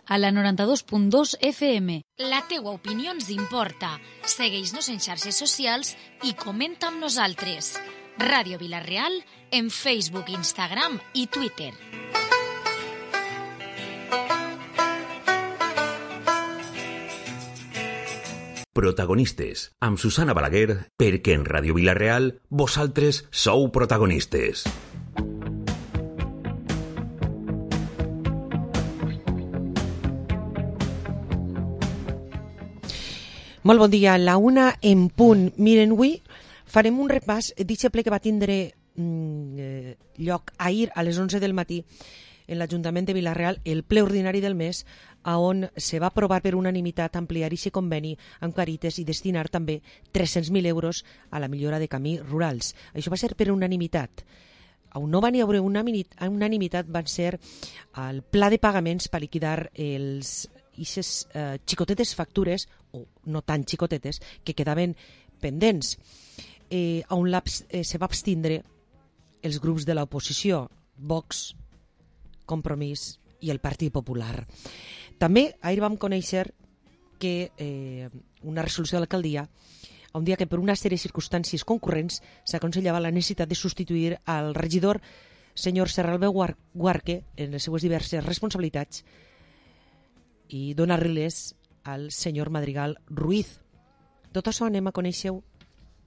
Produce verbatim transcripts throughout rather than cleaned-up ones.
a la noranta-dos punt dos F M. La teua opinió ens importa. Segueix-nos en xarxes socials i comenta amb nosaltres. Ràdio Vila-real en Facebook, Instagram i Twitter. Protagonistes, amb Susana Balaguer, perquè en Ràdio Vila-real vosaltres sou protagonistes. Molt bon dia, la una en punt. Miren, avui farem un repàs d'aquest ple que va tindre mm, lloc ahir a les onze del matí en l'Ajuntament de Vila-real, el ple ordinari del mes, on se va aprovar per unanimitat ampliar aquest conveni amb Càritas i destinar també tres-cents mil euros a la millora de camins rurals. Això va ser per unanimitat. On no va n'hi haver unanimitat van ser el pla de pagaments per liquidar els aquestes eh, xicotetes factures, o no tan xicotetes, que quedaven pendents, eh, on eh, se va abstindre els grups de l'oposició, Vox, Compromís i el Partit Popular. També ahir vam conèixer que eh, una resolució de l'alcaldia on dia que per una sèrie de circumstàncies concurrents s'aconsellava la necessitat de substituir al regidor senyor Serralbé Guarque en les seues diverses responsabilitats i donar-les al senyor Madrigal Ruiz. Tot això anem a conèixer-ho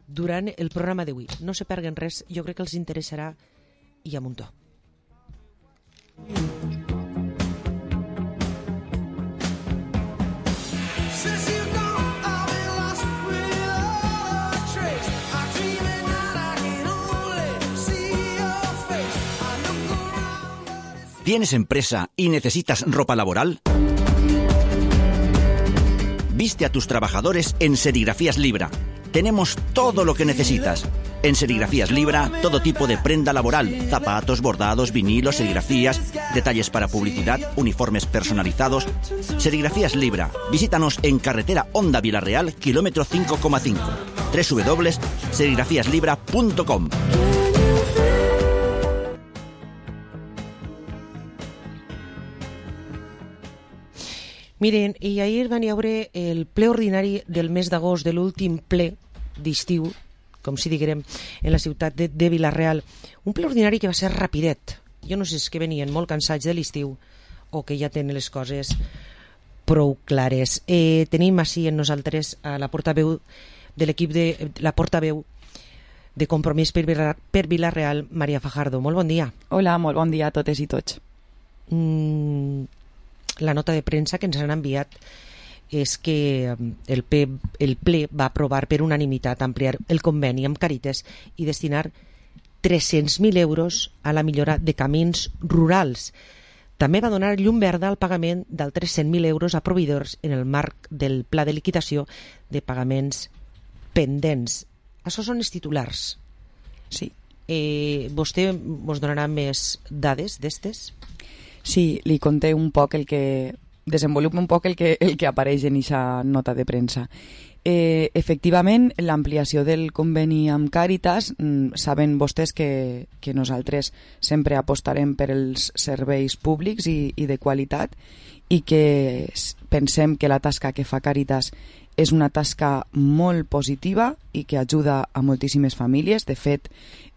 durant el programa d'avui. No se perguen res, jo crec que els interessarà i a muntó. ¿Tienes empresa y necesitas ropa laboral? Viste a tus trabajadores en Serigrafías Libra. Tenemos todo lo que necesitas. En Serigrafías Libra, todo tipo de prenda laboral, zapatos, bordados, vinilos, serigrafías, detalles para publicidad, uniformes personalizados. Serigrafías Libra. Visítanos en carretera Honda Vila-real, kilómetro cinco coma cinco. doble u doble u doble u punto serigrafías libra punto com. Miren, i ahir van hi haure el ple ordinari del mes d'agost, de l'últim ple d'estiu, com si diguem, en la ciutat de, de Vila-real. Un ple ordinari que va ser rapidet. Jo no sé si és que venien molt cansats de l'estiu o que ja tenen les coses prou clares. Eh, tenim així en nosaltres a la portaveu de l'equip de la portaveu de Compromís per, per Vila-real, Maria Fajardo. Molt bon dia. Hola, molt bon dia a totes i tots. Mm, la nota de premsa que ens han enviat és que el ple, el ple va aprovar per unanimitat ampliar el conveni amb Càritas i destinar tres-cents mil euros a la millora de camins rurals. També va donar llum verda al pagament d'altres cent mil euros a proveïdors en el marc del pla de liquidació de pagaments pendents. Això són els titulars. Sí. Eh, vostè ens donarà més dades d'estes? Sí, li conté un poc el que... desenvolupa un poc el que, el que apareix en aquesta nota de premsa. Eh, efectivament, l'ampliació del conveni amb Càritas, mm, saben vostès que, que nosaltres sempre apostarem per els serveis públics i, i de qualitat i que pensem que la tasca que fa Càritas és una tasca molt positiva i que ajuda a moltíssimes famílies. De fet,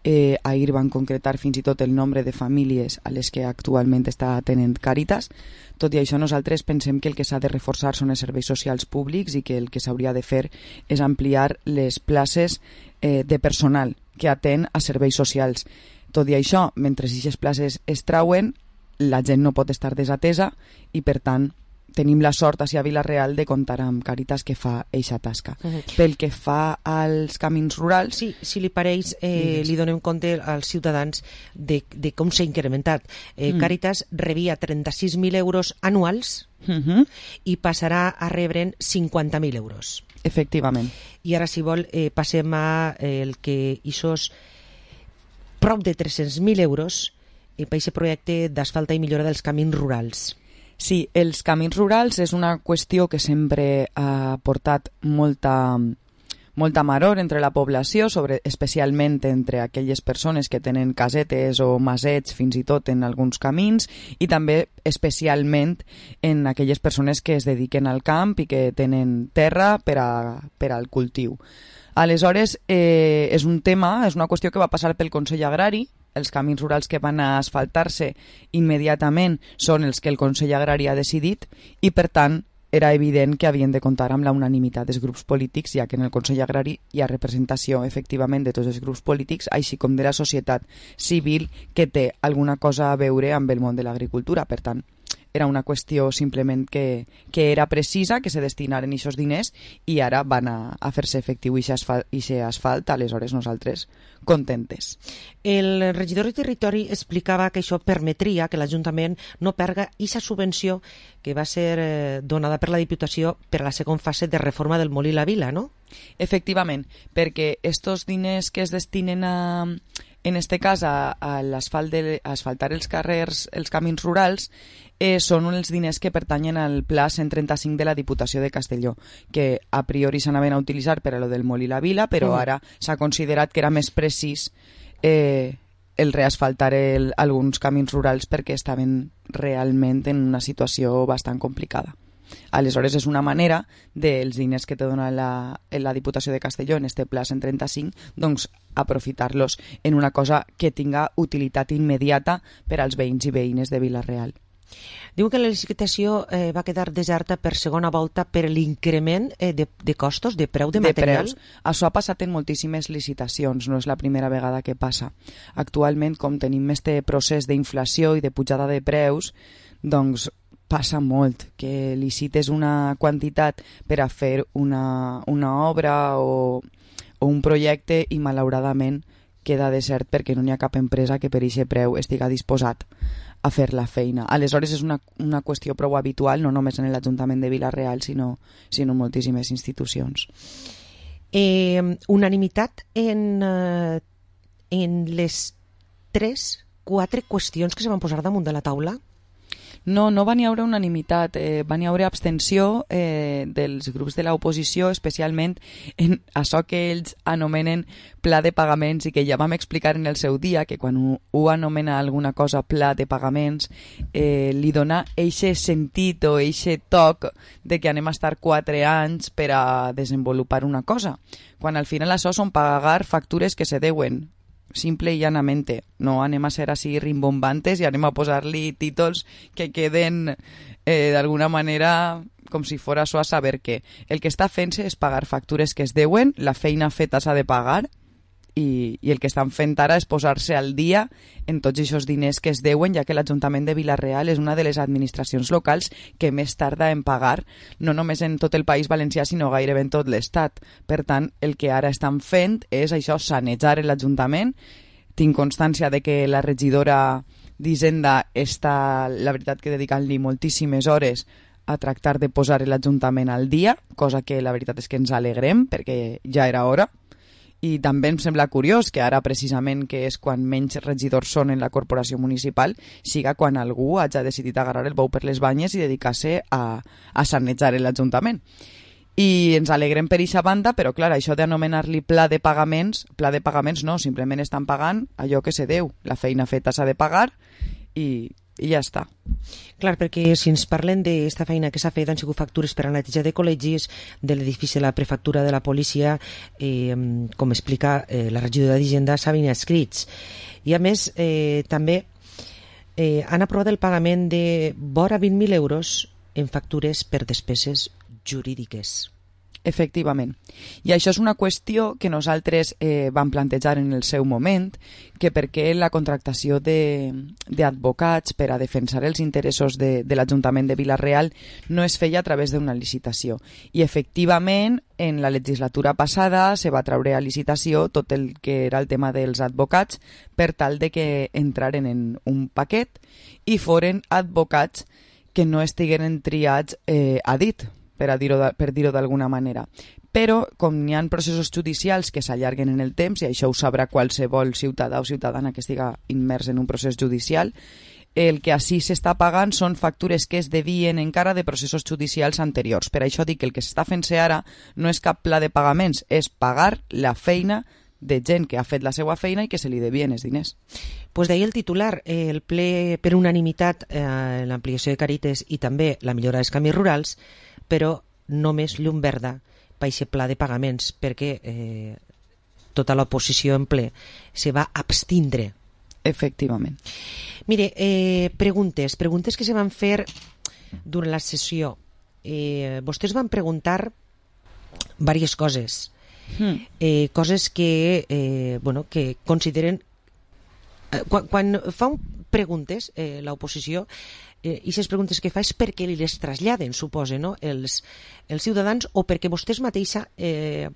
eh, ahir van concretar fins i tot el nombre de famílies a les que actualment està atenent Càritas. Tot i això, nosaltres pensem que el que s'ha de reforçar són els serveis socials públics i que el que s'hauria de fer és ampliar les places eh, de personal que atén a serveis socials. Tot i això, mentre aquestes places es trauen, la gent no pot estar desatesa i, per tant, tenim la sort a Vila-real de comptar amb Càritas que fa eixa tasca. Uh-huh. Pel que fa als camins rurals... Sí, si li pareix, eh, li donem compte als ciutadans de, de com s'ha incrementat. Eh, mm. Càritas rebia trenta-sis mil euros anuals uh-huh. i passarà a rebre'n cinquanta mil euros. Efectivament. I ara, si vol, eh, passem a eh, el que ixos prop de tres-cents mil euros eh, per aquest projecte d'asfalta i millora dels camins rurals. Sí, els camins rurals és una qüestió que sempre ha portat molta, molta maror entre la població, sobre, especialment entre aquelles persones que tenen casetes o masets fins i tot en alguns camins, i també especialment en aquelles persones que es dediquen al camp i que tenen terra per, a, per al cultiu. Aleshores, eh, és un tema, és una qüestió que va passar pel Consell Agrari. Els camins rurals que van a asfaltar-se immediatament són els que el Consell Agrari ha decidit i, per tant, era evident que havien de comptar amb la unanimitat dels grups polítics, ja que en el Consell Agrari hi ha representació, efectivament, de tots els grups polítics, així com de la societat civil que té alguna cosa a veure amb el món de l'agricultura. Per tant, era una qüestió simplement que, que era precisa, que se destinaren aquests diners i ara van a, a fer-se efectiu i aquest asfalt, aleshores nosaltres contentes. El regidor de Territori explicava que això permetria que l'Ajuntament no perga aquesta subvenció que va ser eh, donada per la Diputació per a la segona fase de reforma del Molí la Vila, no? Efectivament, perquè estos diners que es destinen a, en este cas a, a l'asfalt de, a asfaltar els carrers, els camins rurals, eh, són els diners que pertanyen al Pla cent trenta-cinc de la Diputació de Castelló, que a priori s'anaven a utilitzar per a lo del Molí la Vila, però mm. ara s'ha considerat que era més precís eh, el reasfaltar el, alguns camins rurals perquè estaven realment en una situació bastant complicada. Aleshores, és una manera dels diners que te dona la, la Diputació de Castelló en este Pla cent trenta-cinc, doncs aprofitar-los en una cosa que tinga utilitat immediata per als veïns i veïnes de Vila-real. Diu que la licitació eh, va quedar deserta per segona volta per l'increment eh, de, de costos, de preu de, de material. Preus. Això ha passat en moltíssimes licitacions, no és la primera vegada que passa. Actualment, com tenim este procés d'inflació i de pujada de preus, doncs passa molt que licites una quantitat per a fer una, una obra o, o un projecte i malauradament queda desert perquè no hi ha cap empresa que per aquest preu estiga disposat a fer la feina. Aleshores és una, una qüestió prou habitual, no només en l'Ajuntament de Vila-real, sinó, sinó en moltíssimes institucions. Eh, unanimitat en, eh, en les tres, quatre qüestions que se van posar damunt de la taula? No, no va n'hi haure unanimitat, eh, va n'hi haure abstenció eh, dels grups de l'oposició, especialment en això que ells anomenen pla de pagaments i que ja vam explicar en el seu dia, que quan ho, ho anomena alguna cosa pla de pagaments, eh, li dona eixe sentit o eixe toc de que anem a estar quatre anys per a desenvolupar una cosa, quan al final això són pagar factures que se deuen, simple i llanamente. No anem a ser així rimbombantes i anem a posar-li títols que queden eh, d'alguna manera com si fos això a saber què. El que està fent-se és pagar factures que es deuen, la feina feta s'ha de pagar i, i el que estan fent ara és posar-se al dia en tots aquests diners que es deuen, ja que l'Ajuntament de Vila-real és una de les administracions locals que més tarda en pagar, no només en tot el País Valencià, sinó gairebé en tot l'Estat. Per tant, el que ara estan fent és això, sanejar l'Ajuntament. Tinc constància de que la regidora d'Hisenda està, la veritat, que dedicant-li moltíssimes hores a tractar de posar l'Ajuntament al dia, cosa que la veritat és que ens alegrem, perquè ja era hora. I també em sembla curiós que ara, precisament, que és quan menys regidors són en la corporació municipal, siga quan algú hagi decidit agarrar el bou per les banyes i dedicar-se a, a sanejar l'Ajuntament. I ens alegrem per eixa banda, però clar, això d'anomenar-li pla de pagaments, pla de pagaments no, simplement estan pagant allò que se deu. La feina feta s'ha de pagar i, i ja està. Clar, perquè si ens parlen d'esta feina que s'ha fet, han sigut factures per a neteja de col·legis, de l'edifici de la prefectura de la policia, eh, com explica eh, la regidora d'Hisenda, s'havien escrits. I a més, eh, també eh, han aprovat el pagament de vora vint mil euros en factures per despeses jurídiques. Efectivament. I això és una qüestió que nosaltres eh, vam plantejar en el seu moment, que perquè la contractació d'advocats per a defensar els interessos de, de l'Ajuntament de Vila-real no es feia a través d'una licitació. I efectivament, en la legislatura passada se va treure a licitació tot el que era el tema dels advocats per tal de que entraren en un paquet i foren advocats que no estigueren triats eh, a dit, per a dir-ho per dir-ho d'alguna manera. Però, com n'hi ha processos judicials que s'allarguen en el temps, i això ho sabrà qualsevol ciutadà o ciutadana que estiga immers en un procés judicial, el que així s'està pagant són factures que es devien encara de processos judicials anteriors. Per això dic que el que s'està fent-se ara no és cap pla de pagaments, és pagar la feina de gent que ha fet la seva feina i que se li devien els diners. Pues d'ahir el titular, eh, el ple per unanimitat eh, l'ampliació de Càritas i també la millora dels camins rurals, però només llum verda per aquest pla de pagaments, perquè eh, tota l'oposició en ple se va abstindre. Efectivament. Mire, eh, preguntes, preguntes que se van fer durant la sessió. Eh, vostès van preguntar diverses coses. Hmm. Eh, coses que, eh, bueno, que consideren... Eh, quan, quan fa un preguntes, eh, l'oposició, eh, i aquestes preguntes que fa és perquè li les traslladen, suposa, no? els, els ciutadans, o perquè vostès mateixa eh,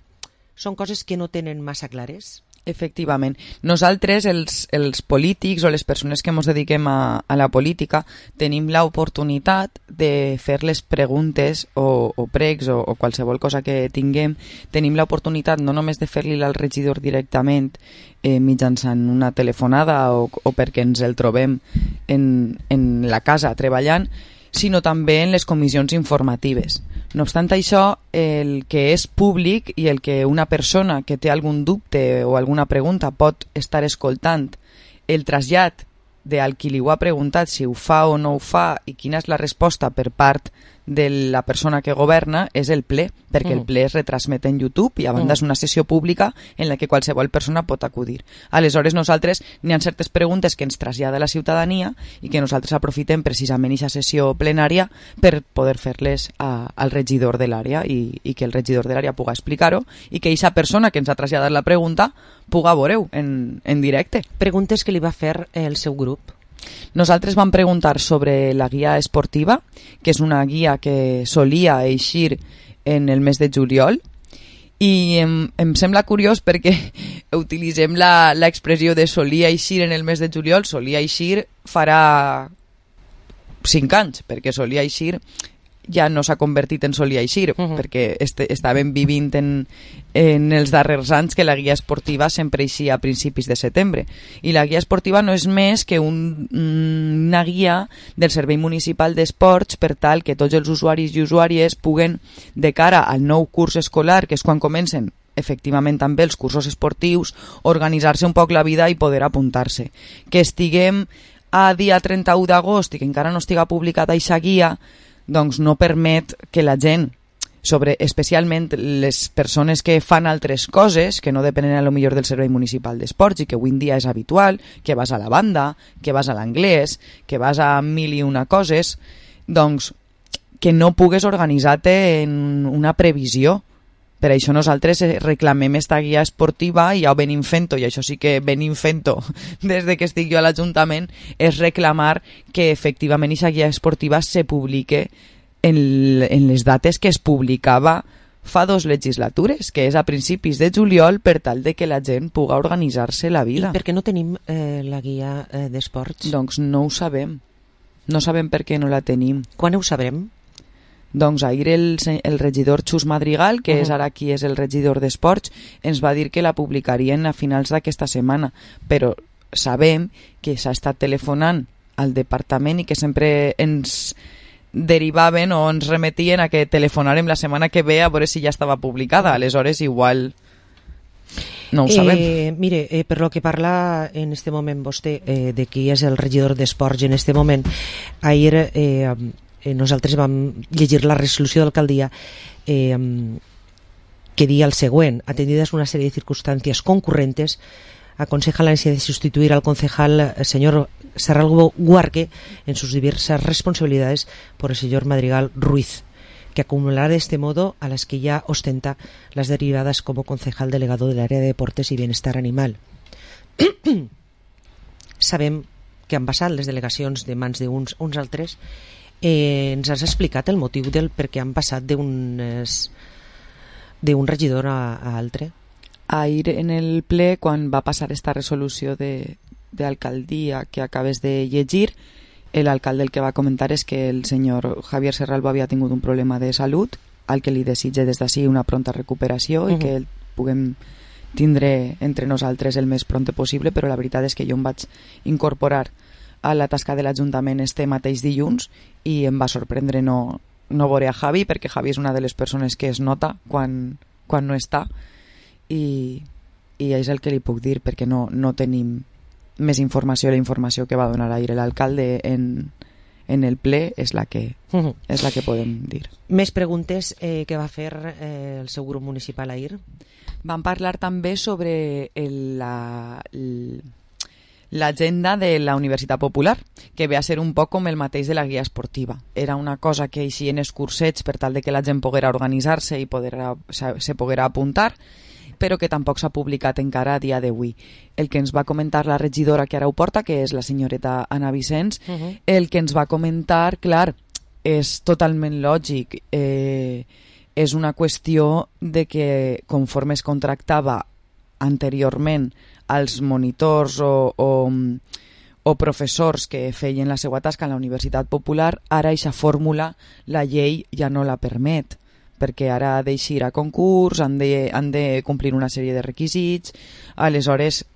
són coses que no tenen massa clares? Efectivament. Nosaltres, els, els polítics o les persones que ens dediquem a, a la política, tenim l'oportunitat de fer les preguntes o, o pregs o, o qualsevol cosa que tinguem. Tenim l'oportunitat no només de fer-li al regidor directament eh, mitjançant una telefonada o, o perquè ens el trobem en, en la casa treballant, sinó també en les comissions informatives. No obstant això, el que és públic i el que una persona que té algun dubte o alguna pregunta pot estar escoltant, el trasllat del qui li ho ha preguntat si ho fa o no ho fa i quina és la resposta per part de la persona que governa és el ple, perquè mm. el ple es retransmet en YouTube i a banda mm. és una sessió pública en la que qualsevol persona pot acudir. Aleshores nosaltres n'hi ha certes preguntes que ens trasllada la ciutadania i que nosaltres aprofitem precisament aquesta sessió plenària per poder fer-les a, al regidor de l'àrea i, i que el regidor de l'àrea puga explicar-ho i que aquesta persona que ens ha traslladat la pregunta puga veure-ho en, en directe. Preguntes que li va fer el seu grup. Nosaltres vam preguntar sobre la guia esportiva, que és una guia que solia eixir en el mes de juliol, i em, em sembla curiós perquè utilitzem l'expressió de solia eixir en el mes de juliol. Solia eixir farà cinc anys, perquè solia eixir ja no s'ha convertit en solia eixir, uh-huh. perquè este, estàvem vivint en, en els darrers anys que la guia esportiva sempre eixia a principis de setembre. I la guia esportiva no és més que un, una guia del Servei Municipal d'Esports per tal que tots els usuaris i usuàries puguen, de cara al nou curs escolar, que és quan comencen efectivament també els cursos esportius, organitzar-se un poc la vida i poder apuntar-se. Que estiguem a dia trenta-u d'agost i que encara no estiga publicada aquesta guia, doncs no permet que la gent, sobre especialment les persones que fan altres coses que no depenen a lo millor del Servei Municipal d'Esports i que avui en dia és habitual, que vas a la banda, que vas a l'anglès, que vas a mil i una coses, doncs que no pugues organitzar-te en una previsió. Per això nosaltres reclamem esta guia esportiva i ja ho venim fent-ho, i això sí que venim fent-ho des de que estic jo a l'Ajuntament, és reclamar que efectivament aquesta guia esportiva se publique en, en les dates que es publicava fa dos legislatures, que és a principis de juliol, per tal de que la gent puga organitzar-se la vida. I per què no tenim eh, la guia eh, d'esports? Doncs no ho sabem. No sabem per què no la tenim. Quan ho sabrem? Doncs ahir el, el regidor Xus Madrigal, que uh-huh. és ara qui és el regidor d'Esports, ens va dir que la publicarien a finals d'aquesta setmana, però sabem que s'ha estat telefonant al departament i que sempre ens derivaven o ens remetien a que telefonarem la setmana que ve a veure si ja estava publicada. Aleshores igual no ho sabem. Eh, mire, eh, per lo que parla en este moment vostè eh, de qui és el regidor d'Esports en este moment, ahir eh, nosaltres vam llegir la resolució d'alcaldia eh, que dia el següent: atendidas una serie de circunstancias concurrentes, aconseja la necesidad de sustituir al concejal el señor Serralgo Guarque en sus diversas responsabilidades por el señor Madrigal Ruiz, que acumulará de este modo a las que ya ostenta las derivadas como concejal delegado del área de deportes y bienestar animal. Sabem que han passat les delegacions de mans d'uns uns altres. Eh, ens has explicat el motiu del per què han passat d'un d'un regidor a, a altre? Ahir en el ple, quan va passar esta resolució de, d'alcaldia que acabes de llegir, l'alcalde el que va comentar és que el senyor Javier Serralbo havia tingut un problema de salut, al que li desitge des d'ací una pronta recuperació uh-huh. i que el puguem tindre entre nosaltres el més pront possible, però la veritat és que jo em vaig incorporar a la tasca de l'Ajuntament este mateix dilluns i em va sorprendre no, no veure a Javi, perquè Javi és una de les persones que es nota quan, quan no està, i, i és el que li puc dir, perquè no, no tenim més informació. La informació que va donar ahir l'alcalde en, en el ple és la que, uh-huh. és la que podem dir. Més preguntes eh, que va fer eh, el seu grup municipal ahir? Van parlar també sobre el, la, el, l'agenda de la Universitat Popular, que ve a ser un poc com el mateix de la guia esportiva. Era una cosa que eixia en escursets per tal de que la gent poguera organitzar-se i poder, se poguera apuntar, però que tampoc s'ha publicat encara a dia d'avui. El que ens va comentar la regidora que ara ho porta, que és la senyoreta Anna Vicens, uh-huh. el que ens va comentar, clar, és totalment lògic. Eh, és una qüestió de que conforme es contractava anteriorment als monitors o, o, o professors que feien la seva tasca en la Universitat Popular, ara aquesta fórmula la llei ja no la permet, perquè ara ha d'eixir a concurs, han de, han de complir una sèrie de requisits, aleshores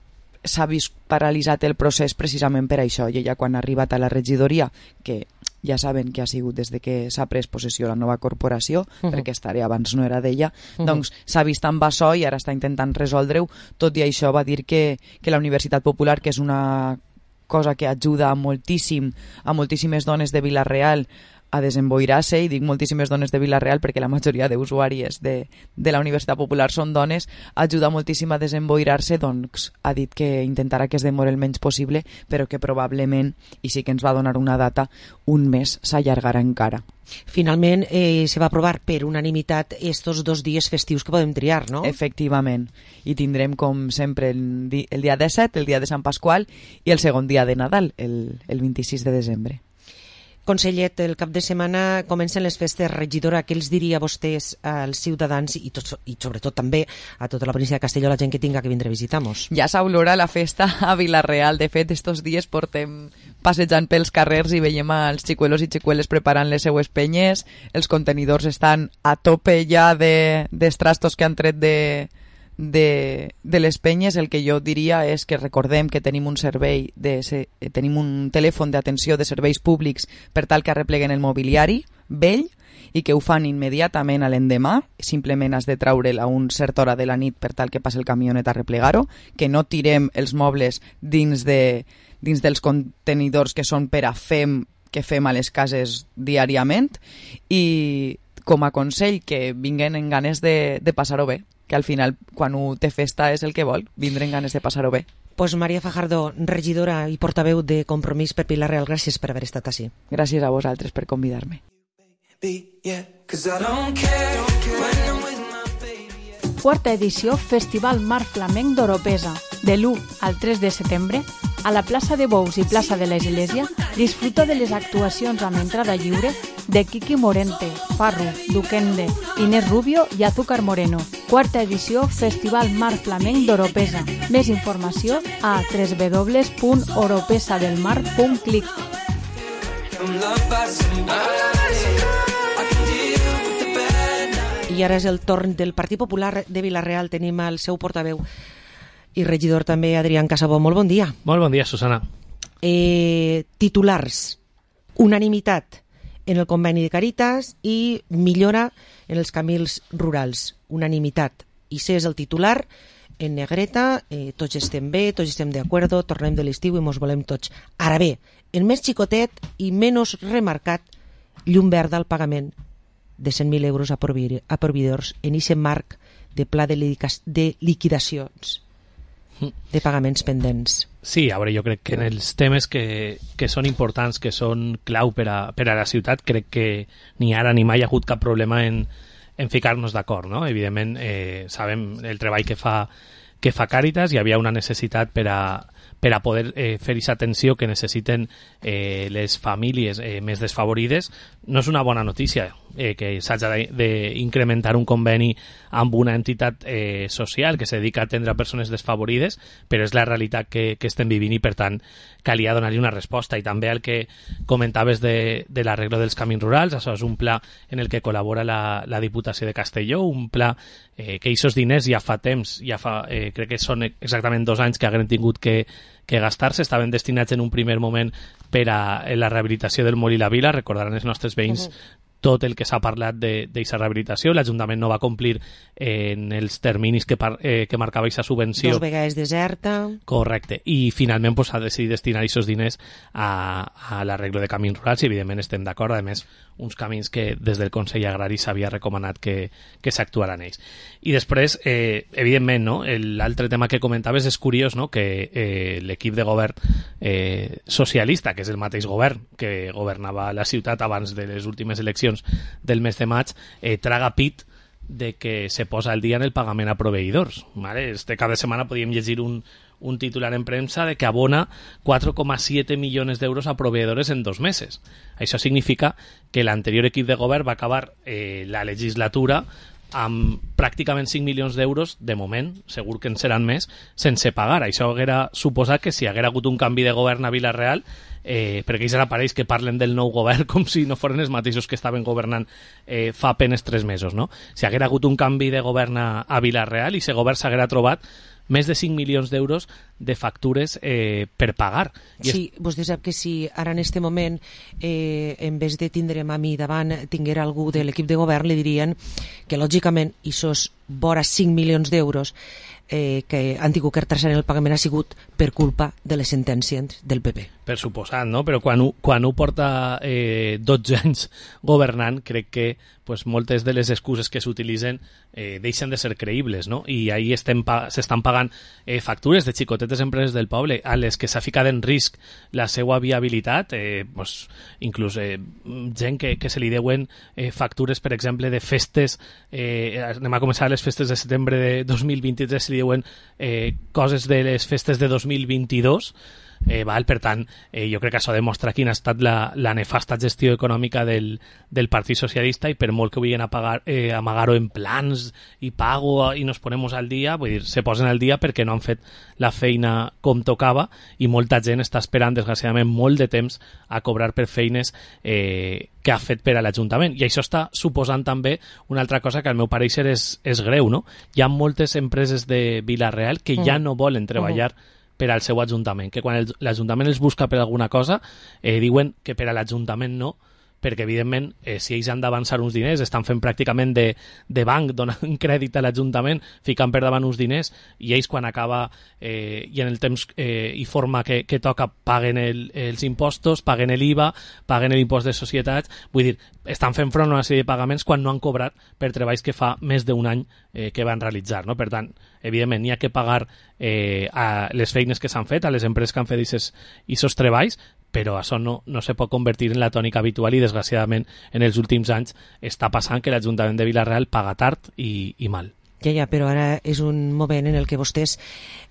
s'ha vist paralitzat el procés precisament per això, i ella quan ha arribat a la regidoria, que ja saben que ha sigut des de que s'ha pres possessió la nova corporació, uh-huh. perquè estaré abans no era d'ella, uh-huh. doncs s'ha vist amb açò i ara està intentant resoldre-ho. Tot i això va dir que, que la Universitat Popular, que és una cosa que ajuda moltíssim a moltíssimes dones de Vila-real a desemboirar-se, i dic moltíssimes dones de Vila-real perquè la majoria d'usuàries de, de la Universitat Popular són dones, ajuda moltíssim a desemboirar-se, doncs ha dit que intentarà que es demori el menys possible, però que probablement, i sí que ens va donar una data, un mes s'allargarà encara. Finalment eh, se va aprovar per unanimitat estos dos dies festius que podem triar, no? Efectivament, i tindrem com sempre el, di el dia disset, el dia de Sant Pasqual, i el segon dia de Nadal, el, el vint-i-sis de desembre. Consellet, el cap de setmana comencen les festes. Regidora, què els diria a vostès, als ciutadans i, tot, i sobretot també a tota la província de Castelló, la gent que tinga que vindre a visitar-nos? Ja s'olora la festa a Vila-real. De fet, estos dies portem passejant pels carrers i veiem als xicuelos i xicueles preparant les seues penyes. Els contenidors estan a tope ja d'estrastos que han tret de... De, de les penyes. El que jo diria és que recordem que tenim un servei de, tenim un telèfon d'atenció de serveis públics per tal que arrepleguen el mobiliari vell i que ho fan immediatament a l'endemà. Simplement has de treure'l a un cert hora de la nit per tal que passi el camionet a replegar-ho, que no tirem els mobles dins, de, dins dels contenidors que són per a fem que fem a les cases diàriament, i com a consell que vinguen en ganes de, de passar-ho bé, que al final, quan ho té festa, és el que vol, vindre en ganes de passar-ho bé. Pues Maria Fajardo, regidora i portaveu de Compromís per Vila-real, gràcies per haver estat així. Gràcies a vosaltres per convidar-me. Quarta edició Festival Mar Flamenc d'Oropesa. De l'u al tres de setembre, a la plaça de Bous i plaça de l'Església, disfruta de les actuacions amb entrada lliure de Kiki Morente, Farru, Duquende, Inés Rubio i Azúcar Moreno. Quarta edició Festival Mar Flamenc d'Oropesa. Més informació a w w w punt oropesadelmar punt clic. I ara és el torn del Partit Popular de Vila-real. Tenim el seu portaveu i regidor també, Adrián Casabó. Molt bon dia. Molt bon dia, Susana. Eh, titulars. Unanimitat en el conveni de Càritas i millora en els camins rurals. Unanimitat. I sé és el titular en negreta, eh, tots estem bé, tots estem d'acord, tornem de l'estiu i mos volem tots. Ara bé, el més xicotet i menys remarcat, llum verda al pagament de cent mil euros a proveïdors en aquest marc de pla de liquidacions de pagaments pendents. Sí, a veure, jo crec que en els temes que, que són importants, que són clau per a, per a la ciutat, crec que ni ara ni mai ha hagut cap problema en, en ficar-nos d'acord, no? Evidentment, eh, sabem el treball que fa, que fa Càritas, hi havia una necessitat per a, per a poder eh, fer aquesta atenció que necessiten eh, les famílies eh, més desfavorides. No és una bona notícia. eh, que s'hagi d'incrementar un conveni amb una entitat eh, social que se dedica a atendre a persones desfavorides, però és la realitat que, que estem vivint i per tant calia donar-li una resposta. I també el que comentaves de, de l'arreglo dels camins rurals, això és un pla en el que col·labora la, la Diputació de Castelló, un pla eh, que aquests diners ja fa temps, ja fa, eh, crec que són exactament dos anys que haguem tingut que que gastar-se, estaven destinats en un primer moment per a la rehabilitació del Molí la Vila. Recordaran els nostres veïns uh-huh. tot el que s'ha parlat d'aquesta rehabilitació. L'Ajuntament no va complir en els terminis que, par, eh, que marcava aquesta subvenció. Dos vegades deserta. Correcte. I finalment pues, ha decidit destinar aquests diners a, a l'arreglo de camins rurals i evidentment estem d'acord. A més, uns camins que des del Consell Agrari s'havia recomanat que, que s'actuaran ells. I després, eh, evidentment, no? l'altre tema que comentaves és curiós, no? que eh, l'equip de govern eh, socialista, que és el mateix govern que governava la ciutat abans de les últimes eleccions del mes de maig, eh, traga pit de que se posa al dia en el pagament a proveïdors. ¿Vale? Este cap de setmana podíem llegir un, un titular en premsa de que abona quatre coma siete millones d'euros a proveïdors en dos meses. Això significa que l'anterior equip de govern va acabar eh, la legislatura amb pràcticament cinc milions d'euros, de moment, segur que en seran més, sense pagar. Això haguera suposat que si haguera hagut un canvi de govern a Vila-real, eh, perquè ells ara pareix que parlen del nou govern com si no foren els mateixos que estaven governant eh, fa apenes tres mesos, no? Si haguera hagut un canvi de govern a, a Vila-real i aquest govern s'haguera trobat més de cinc milions d'euros de factures eh, per pagar. I sí, és... vostè sap que si ara en este moment, eh, en vez de tindre'm a mi davant, tinguera algú de l'equip de govern, li dirien que, lògicament, aquests vora cinc milions d'euros eh, que han tingut que retrasar el pagament ha sigut per culpa de les sentències del P P. Per suposat, no? Però quan ho, quan ho porta eh, dotze anys governant, crec que pues, moltes de les excuses que s'utilitzen eh, deixen de ser creïbles, no? I ahí estem pa s'estan pagant eh, factures de xicotetes empreses del poble a les que s'ha ficat en risc la seva viabilitat, eh, pues, inclús eh, gent que, que se li deuen eh, factures, per exemple, de festes, eh, anem a començar les festes de setembre de dos mil vint-i-tres, se li deuen eh, coses de les festes de dos mil vint-i-dos, Eh, val? Per tant, eh, jo crec que això demostra quina ha estat la, la nefasta gestió econòmica del, del Partit Socialista i per molt que vulguin apagar, eh, amagar-ho en plans i pago i nos ponemos al dia, vull dir, se posen al dia perquè no han fet la feina com tocava i molta gent està esperant, desgraciadament, molt de temps a cobrar per feines eh, que ha fet per a l'Ajuntament. I això està suposant també una altra cosa que al meu pareixer és, és greu, no? Hi ha moltes empreses de Vila-real que mm. ja no volen treballar mm. per al seu Ajuntament, que quan l'Ajuntament els busca per alguna cosa eh, diuen que per a l'Ajuntament no, perquè evidentment eh, si ells han d'avançar uns diners estan fent pràcticament de, de banc, donant crèdit a l'Ajuntament, ficant per davant uns diners i ells quan acaba eh, i en el temps eh, i forma que, que toca paguen el, els impostos, paguen l'I V A, paguen l'impost de societats, vull dir, estan fent front a una sèrie de pagaments quan no han cobrat per treballs que fa més d'un any eh, que van realitzar, no? Per tant, evidentment, n'hi ha que pagar eh, a les feines que s'han fet, a les empreses que han fet aquests treballs, però això no, no se pot convertir en la tònica habitual i desgraciadament en els últims anys està passant que l'Ajuntament de Vila-real paga tard i, i mal. Ja, ja, però ara és un moment en el que vostès,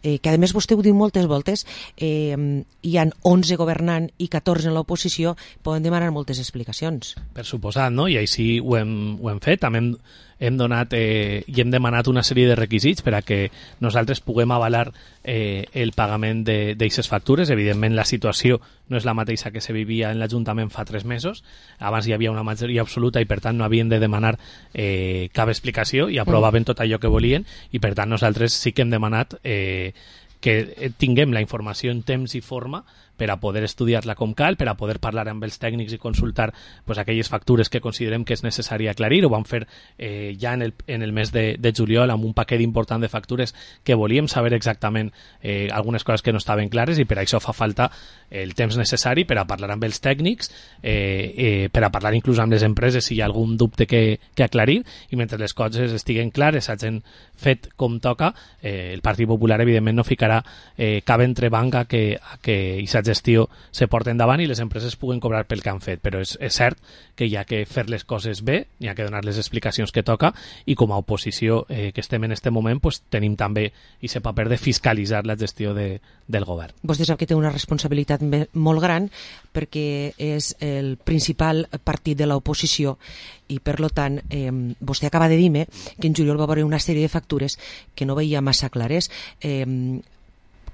eh, que a més vostè ho diu moltes voltes, eh, hi han onze governant i catorze en l'oposició, poden demanar moltes explicacions. Per suposat, no? I així ho hem, ho hem fet, també hem, hem donat eh, i hem demanat una sèrie de requisits per a que nosaltres puguem avalar eh, el pagament d'aquestes factures. Evidentment la situació no és la mateixa que se vivia en l'Ajuntament fa tres mesos, abans hi havia una majoria absoluta i per tant no havien de demanar eh, cap explicació i aprovaven tot allò que volien i per tant nosaltres sí que hem demanat eh, que tinguem la informació en temps i forma per a poder estudiar-la com cal, per a poder parlar amb els tècnics i consultar pues, aquelles factures que considerem que és necessari aclarir. Ho vam fer eh, ja en el, en el mes de, de juliol amb un paquet important de factures que volíem saber exactament eh, algunes coses que no estaven clares i per això fa falta el temps necessari per a parlar amb els tècnics, eh, eh, per a parlar inclús amb les empreses si hi ha algun dubte que, que aclarir i mentre les coses estiguen clares, s'hagin fet com toca, eh, el Partit Popular evidentment no ficarà eh, cap entrebanc a que, a que hi s'hagi gestió se porta endavant i les empreses puguen cobrar pel que han fet, però és, és cert que hi ha que fer les coses bé, hi ha que donar les explicacions que toca, i com a oposició eh, que estem en aquest moment pues, tenim també aquest paper de fiscalitzar la gestió de, del govern. Vostè sap que té una responsabilitat molt gran perquè és el principal partit de l'oposició i per lo tant eh, vostè acaba de dir-me que en juliol va haver una sèrie de factures que no veia massa clares. Eh,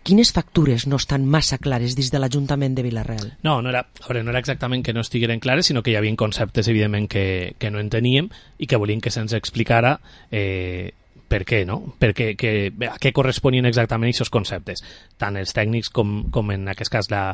Quines factures no estan massa clares dins de l'Ajuntament de Vila-real? No, no era, a veure, no era exactament que no estigueren clares, sinó que hi havia conceptes, evidentment, que, que no enteníem i que volíem que se'ns explicara eh, per què, no? Perquè, que, a què corresponien exactament aquests conceptes, tant els tècnics com, com en aquest cas la,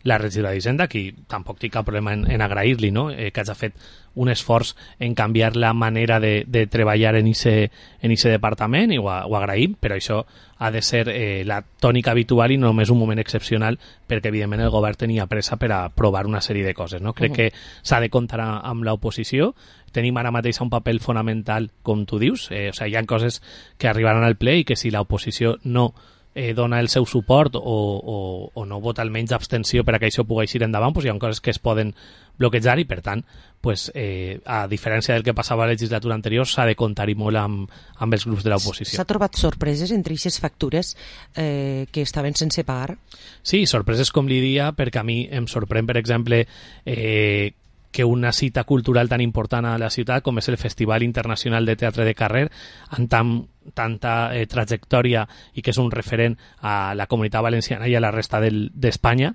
la regidora d'Hisenda, que tampoc tinc cap problema en, en agrair-li, no? eh, que hagi fet un esforç en canviar la manera de, de treballar en ese, en ese departament, i ho, ho agraïm, però això ha de ser eh, la tònica habitual i no només un moment excepcional, perquè evidentment el govern tenia pressa per a provar una sèrie de coses, no? Crec uh -huh. que s'ha de comptar amb l'oposició. Tenim ara mateix un paper fonamental, com tu dius, eh, o sigui, hi ha coses que arribaran al ple i que si l'oposició no eh, dona el seu suport o, o, o no vota almenys abstenció per a que això pugui eixir endavant, doncs hi ha coses que es poden bloquejar i, per tant, pues, eh, a diferència del que passava a la legislatura anterior, s'ha de comptar-hi molt amb, amb els grups de l'oposició. S'ha trobat sorpreses entre aquestes factures eh, que estaven sense pagar? Sí, sorpreses com li dia, perquè a mi em sorprèn, per exemple, eh, que una cita cultural tan important a la ciutat com és el Festival Internacional de Teatre de Carrer, amb tan, tanta eh, trajectòria i que és un referent a la comunitat valenciana i a la resta d'Espanya,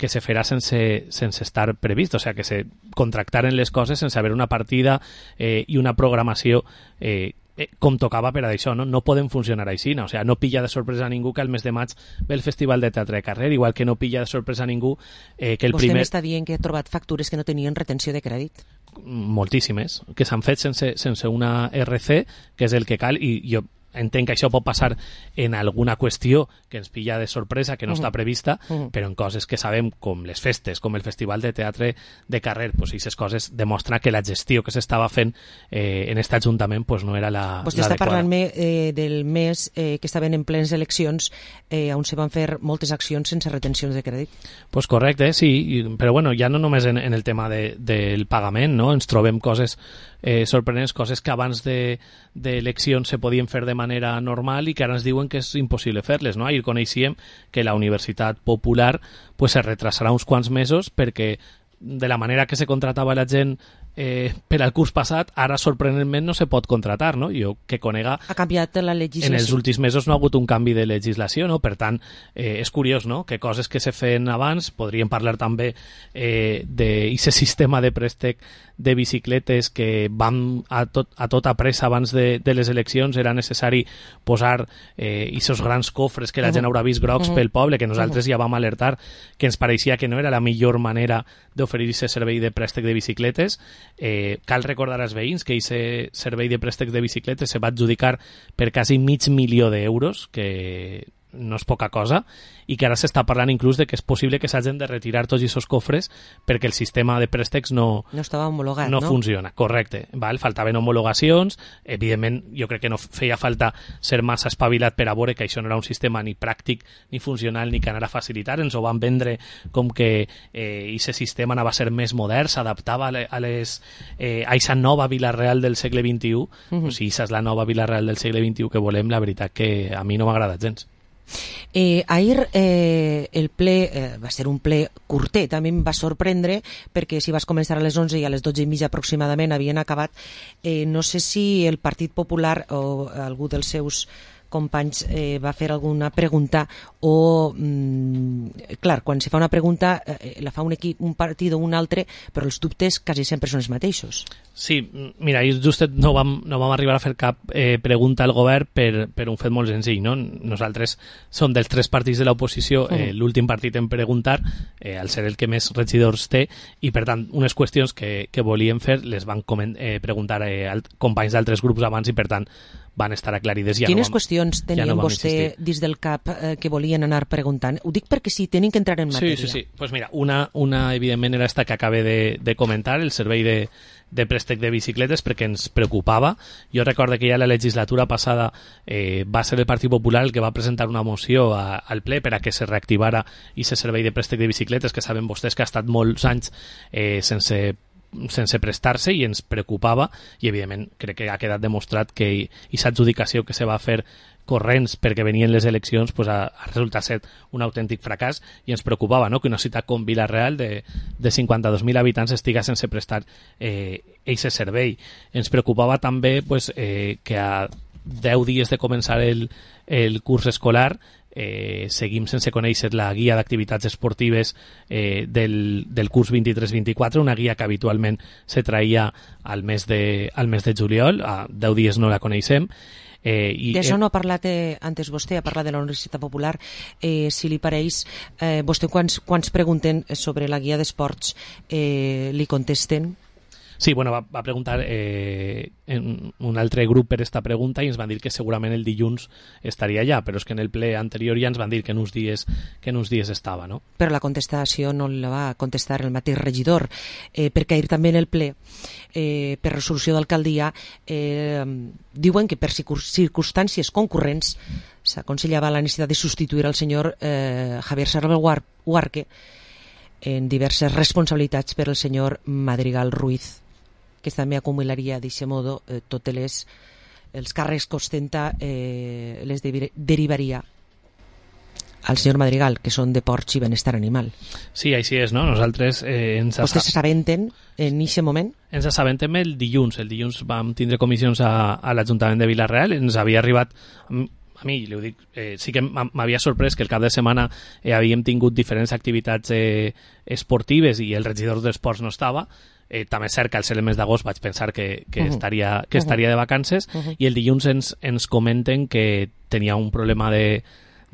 que se farà sense, sense estar previst, o sigui, que se contractaren les coses sense haver una partida eh, i una programació eh, eh, com tocava per a això, no? No poden funcionar així, no? O sigui, no pilla de sorpresa a ningú que el mes de maig ve el Festival de Teatre de Carrer, igual que no pilla de sorpresa a ningú eh, que el Vostè primer... Vostè m'està dient que ha trobat factures que no tenien retenció de crèdit? Moltíssimes, que s'han fet sense, sense una R C, que és el que cal, i jo entenc que això pot passar en alguna qüestió que ens pilla de sorpresa, que no uh -huh. està prevista, uh -huh. però en coses que sabem, com les festes, com el Festival de Teatre de Carrer, pues aquestes coses demostren que la gestió que s'estava fent eh, en aquest Ajuntament pues, no era la Vostè està parlant-me eh, del mes eh, que estaven en plenes eleccions eh, on se van fer moltes accions sense retencions de crèdit. Pues correcte, sí, però bueno, ja no només en, en el tema de, del pagament, no? Ens trobem coses eh, sorprenents, coses que abans d'eleccions de, se podien fer de manera normal i que ara ens diuen que és impossible fer-les, no? Ahir coneixíem que la Universitat Popular pues, se retrasarà uns quants mesos perquè de la manera que se contratava la gent eh, per al curs passat, ara sorprenentment no se pot contratar, no? Jo que conega... Ha canviat la legislació. En els últims mesos no ha hagut un canvi de legislació, no? Per tant, eh, és curiós, no?, que coses que se feien abans, podríem parlar també eh, d'aquest sistema de préstec de bicicletes que van a, tot, a tota pressa abans de, de les eleccions, era necessari posar aquests eh, grans cofres que la gent haurà vist grocs uh -huh. pel poble, que nosaltres uh -huh. ja vam alertar que ens pareixia que no era la millor manera d'oferir aquest servei de préstec de bicicletes. Eh, cal recordar als veïns que aquest servei de préstecs de bicicletes se va adjudicar per quasi mig milió d'euros, que no és poca cosa, i que ara s'està parlant inclús de que és possible que s'hagin de retirar tots aquests cofres perquè el sistema de préstecs no, no estava homologat, no, no? funciona, correcte. Val? Faltaven homologacions, evidentment jo crec que no feia falta ser massa espavilat per a veure que això no era un sistema ni pràctic ni funcional ni que anara a facilitar, ens ho van vendre com que aquest eh, sistema anava a ser més modern, s'adaptava a, a les eh, a aquesta nova Vila-real del segle vint-i-u. Uh -huh. O sigui, aquesta és la nova Vila-real del segle vint-i-u que volem, la veritat que a mi no m'ha agradat gens. Eh, ahir eh, el ple eh, va ser un ple curtet, a mi em va sorprendre perquè si vas començar a les onze i a les dotze i mitja aproximadament havien acabat. Eh, no sé si el Partit Popular o algú dels seus companys eh, va fer alguna pregunta o, mm, clar, quan se fa una pregunta eh, la fa un equip, un partit o un altre, però els dubtes quasi sempre són els mateixos. Sí, mira, just no vam, no vam arribar a fer cap eh, pregunta al govern per, per un fet molt senzill, no? Nosaltres som dels tres partits de l'oposició, eh, l'últim partit en preguntar, eh, al ser el que més regidors té, i per tant unes qüestions que, que volíem fer les van coment, eh, preguntar eh, companys d'altres grups abans i per tant van estar aclarides. Ja Quines no vam, qüestions tenien ja no vostè dins del cap eh, que volien anar preguntant? Ho dic perquè sí, tenen que entrar en matèria. Sí, sí, sí. Pues mira, una, una evidentment era esta que acabé de, de comentar, el servei de, de préstec de bicicletes, perquè ens preocupava. Jo recordo que ja la legislatura passada eh, va ser el Partit Popular el que va presentar una moció a, al ple per a que se reactivara aquest servei de préstec de bicicletes, que saben vostès que ha estat molts anys eh, sense sense prestar-se i ens preocupava, i evidentment crec que ha quedat demostrat que aquesta adjudicació que se va fer corrents perquè venien les eleccions pues ha, ha resultat ser un autèntic fracàs, i ens preocupava, no?, que una ciutat com Vila-real de, de cinquanta-dos mil habitants estiga sense prestar eh, aquest servei. Ens preocupava també pues, eh, que a deu dies de començar el, el curs escolar Eh, seguim sense conèixer la guia d'activitats esportives eh, del, del curs vint-i-tres vint-i-quatre, una guia que habitualment se traïa al mes de, al mes de juliol. A deu dies no la coneixem. Eh, i, D'això no ha parlat eh, antes vostè, ha parlat de la Universitat Popular. Eh, si li pareix, eh, vostè quants, quants pregunten sobre la guia d'esports eh, li contesten? Sí, bueno, va, va preguntar eh, en un altre grup per esta pregunta i ens van dir que segurament el dilluns estaria allà, però és que en el ple anterior ja ens van dir que en uns dies, que en uns dies estava, no? Però la contestació no la va contestar el mateix regidor, eh, perquè ahir també en el ple, eh, per resolució d'alcaldia, eh, diuen que per circumstàncies concurrents s'aconsellava la necessitat de substituir el senyor eh, Javier Serra Huarque en diverses responsabilitats per el senyor Madrigal Ruiz, que també acumularia d'aquest modo eh, totes les els càrrecs que ostenta eh, les de, derivaria al senyor Madrigal, que són de porcs i benestar animal. Sí, així és, no? Nosaltres eh, ens... Vostès s'assabenten en aquest moment? Ens assabentem el dilluns. El dilluns vam tindre comissions a, a l'Ajuntament de Vila-real. Ens havia arribat... A mi, li ho dic, eh, sí que m'havia sorprès que el cap de setmana eh, havíem tingut diferents activitats eh, esportives i el regidor d'esports no estava. Eh, també és cert que al ser el mes d'agost vaig pensar que, que, uh-huh. estaria, que uh-huh. estaria de vacances, uh-huh. i el dilluns ens, ens comenten que tenia un problema de,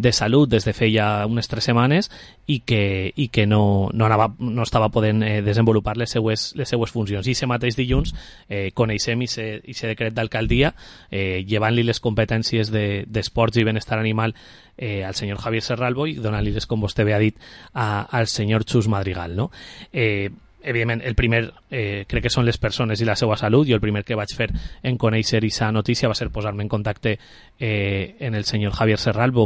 de salut des de feia unes tres setmanes i que, i que no, no, anava, no estava podent eh, desenvolupar les seues, les seues funcions. I aquest mateix dilluns eh, coneixem aquest decret d'alcaldia eh, llevant-li les competències d'esports de, i benestar animal eh, al senyor Javier Serralbo i donant-li les, com vostè bé ha dit, a, al senyor Xus Madrigal, no? Eh, evidentment, el primer eh, crec que són les persones i la seva salut. Jo el primer que vaig fer en conèixer aquesta notícia va ser posar-me en contacte eh, en el senyor Javier Serralbo,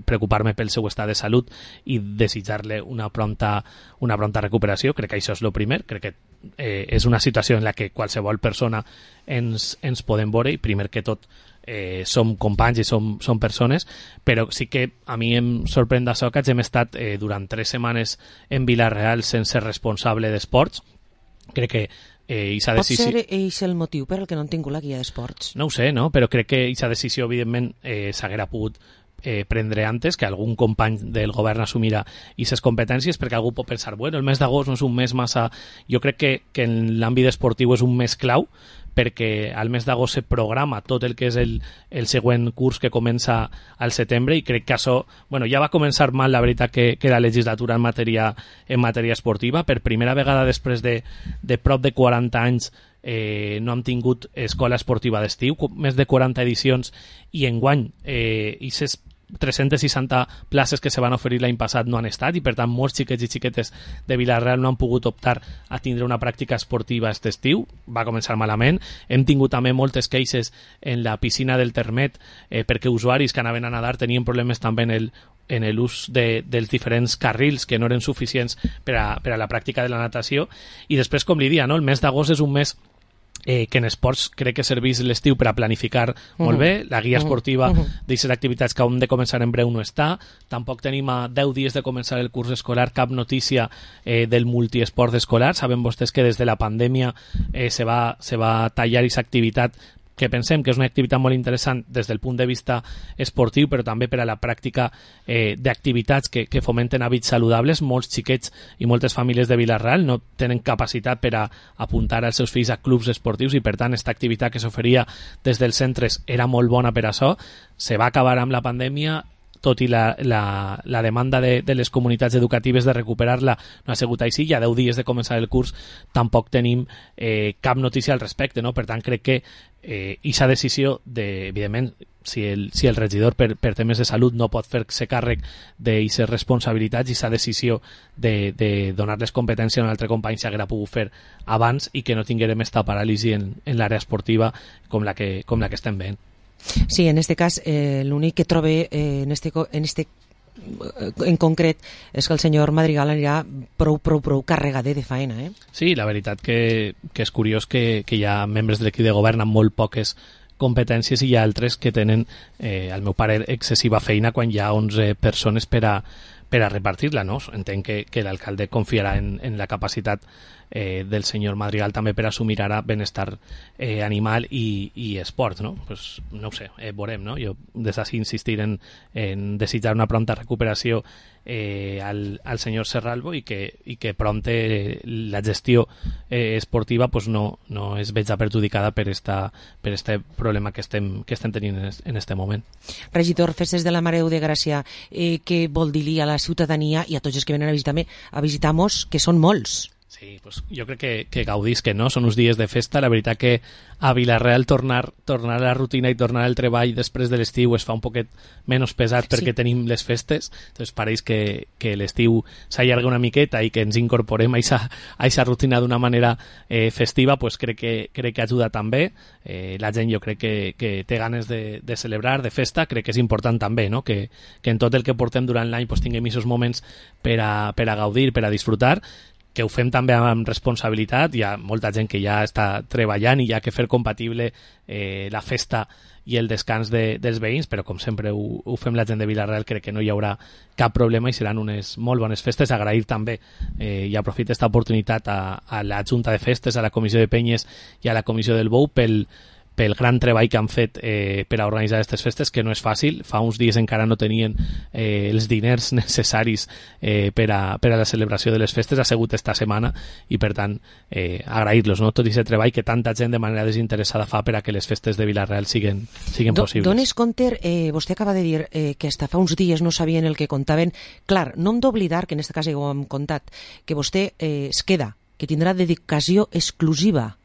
preocupar-me pel seu estat de salut i desitjar-li una pronta, una pronta recuperació. Crec que això és el primer. Crec que eh, és una situació en la que qualsevol persona ens, ens podem veure, i primer que tot Eh, som companys i som, som persones, però sí que a mi em sorprèn d'això que hem estat eh, durant tres setmanes en Vila-real sense responsable d'esports. Crec que eh, Pot decisió... ser és el motiu per al que no han tingut la guia d'esports? No ho sé, no? Però crec que aquesta decisió evidentment eh, s'haguera pogut eh, prendre antes, que algun company del govern assumirà aquestes competències, perquè algú pot pensar, bueno, el mes d'agost no és un mes massa... Jo crec que, que en l'àmbit esportiu és un mes clau, perquè al mes d'agost se programa tot el que és el, el següent curs que comença al setembre, i crec que això, bueno, ja va començar mal la veritat que, que la legislatura en matèria, en matèria esportiva. Per primera vegada després de, de prop de quaranta anys eh, no hem tingut escola esportiva d'estiu, més de quaranta edicions, i enguany eh, aquestes tres-centes seixanta places que se van oferir l'any passat no han estat, i per tant molts xiquets i xiquetes de Vila-real no han pogut optar a tindre una pràctica esportiva aquest estiu. Va començar malament. Hem tingut també moltes queixes en la piscina del Termet eh, perquè usuaris que anaven a nadar tenien problemes també en el en l'ús de, dels diferents carrils que no eren suficients per a, per a la pràctica de la natació. I després, com li dia, no? El mes d'agost és un mes Eh, que en esports crec que serveix l'estiu per a planificar uh-huh. molt bé. La guia esportiva uh-huh. d'aquestes activitats que hem de començar en breu no està. Tampoc tenim a deu dies de començar el curs escolar cap notícia eh, del multiesport escolar. Saben vostès que des de la pandèmia eh, se, va, se va tallar aquesta activitat, que pensem que és una activitat molt interessant des del punt de vista esportiu, però també per a la pràctica eh, d'activitats que, que fomenten hàbits saludables. Molts xiquets i moltes famílies de Vila-real no tenen capacitat per a apuntar els seus fills a clubs esportius, i per tant aquesta activitat que s'oferia des dels centres era molt bona per a això. Se va acabar amb la pandèmia, tot i la, la, la demanda de, de les comunitats educatives de recuperar-la no ha sigut així, i a deu dies de començar el curs tampoc tenim eh, cap notícia al respecte, no? Per tant, crec que eh, aquesta decisió, de, evidentment, si el, si el regidor per, per temes de salut no pot fer-se càrrec d'aquestes responsabilitats, i aquesta decisió de, de donar-les competència a un altre company s'haguera pogut fer abans i que no tinguérem esta paràlisi en, en l'àrea esportiva com la que, com la que estem veient. Sí, en este cas, eh, l'únic que trobe eh, en este, en este en concret és que el senyor Madrigal anirà prou, prou, prou carregader de faena, eh? Sí, la veritat que, que és curiós que, que hi ha membres de l'equip de govern amb molt poques competències i hi ha altres que tenen, eh, al meu parer, excessiva feina quan hi ha onze persones per a, per a repartir-la, no? Entenc que, que l'alcalde confiarà en, en la capacitat eh, del senyor Madrigal també per assumir ara benestar eh, animal i, i esport, no? Pues, no ho sé, eh, veurem, no? Jo des d'ací insistir en, en desitjar una pronta recuperació eh, al, al senyor Serralbo i que, i que prompte la gestió eh, esportiva pues no, no es veja perjudicada per esta, per este problema que estem, que estem tenint en, en este moment. Regidor, Festes de la Mare de Gràcia, eh, què vol dir-li a la ciutadania i a tots els que venen a visitar-me, a visitar-nos, que són molts? Sí, pues jo crec que, que gaudís que no, són uns dies de festa. La veritat que a Vilareal tornar, tornar a la rutina i tornar al treball després de l'estiu es fa un poquet menys pesat perquè sí. Tenim les festes, doncs pareix que, que l'estiu s'allarga una miqueta i que ens incorporem a aquesta rutina d'una manera eh, festiva, pues crec que, crec que ajuda també. Eh, la gent jo crec que, que té ganes de, de celebrar, de festa, crec que és important també, no? que, que en tot el que portem durant l'any pues, tinguem aquests moments per a, per a gaudir, per a disfrutar, que ho fem també amb responsabilitat. Hi ha molta gent que ja està treballant i hi ha que fer compatible eh, la festa i el descans de, dels veïns, però com sempre ho, ho fem la gent de Vilareal, crec que no hi haurà cap problema i seran unes molt bones festes. Agrair també, eh, i aprofito aquesta oportunitat a, a la Junta de Festes, a la Comissió de Penyes i a la Comissió del Bou pel pel gran treball que han fet eh, per a organitzar aquestes festes, que no és fàcil. Fa uns dies encara no tenien eh, els diners necessaris eh, per, a, per a la celebració de les festes, ha sigut esta setmana, i per tant eh, agrair-los, no? Tot aquest treball que tanta gent de manera desinteressada fa per a que les festes de Vilareal siguen, siguen Do, possibles. Dones compte, eh, vostè acaba de dir eh, que hasta fa uns dies no sabien el que contaven. Clar, no hem d'oblidar, que en aquest cas ja ho hem contat, que vostè eh, es queda, que tindrà dedicació exclusiva.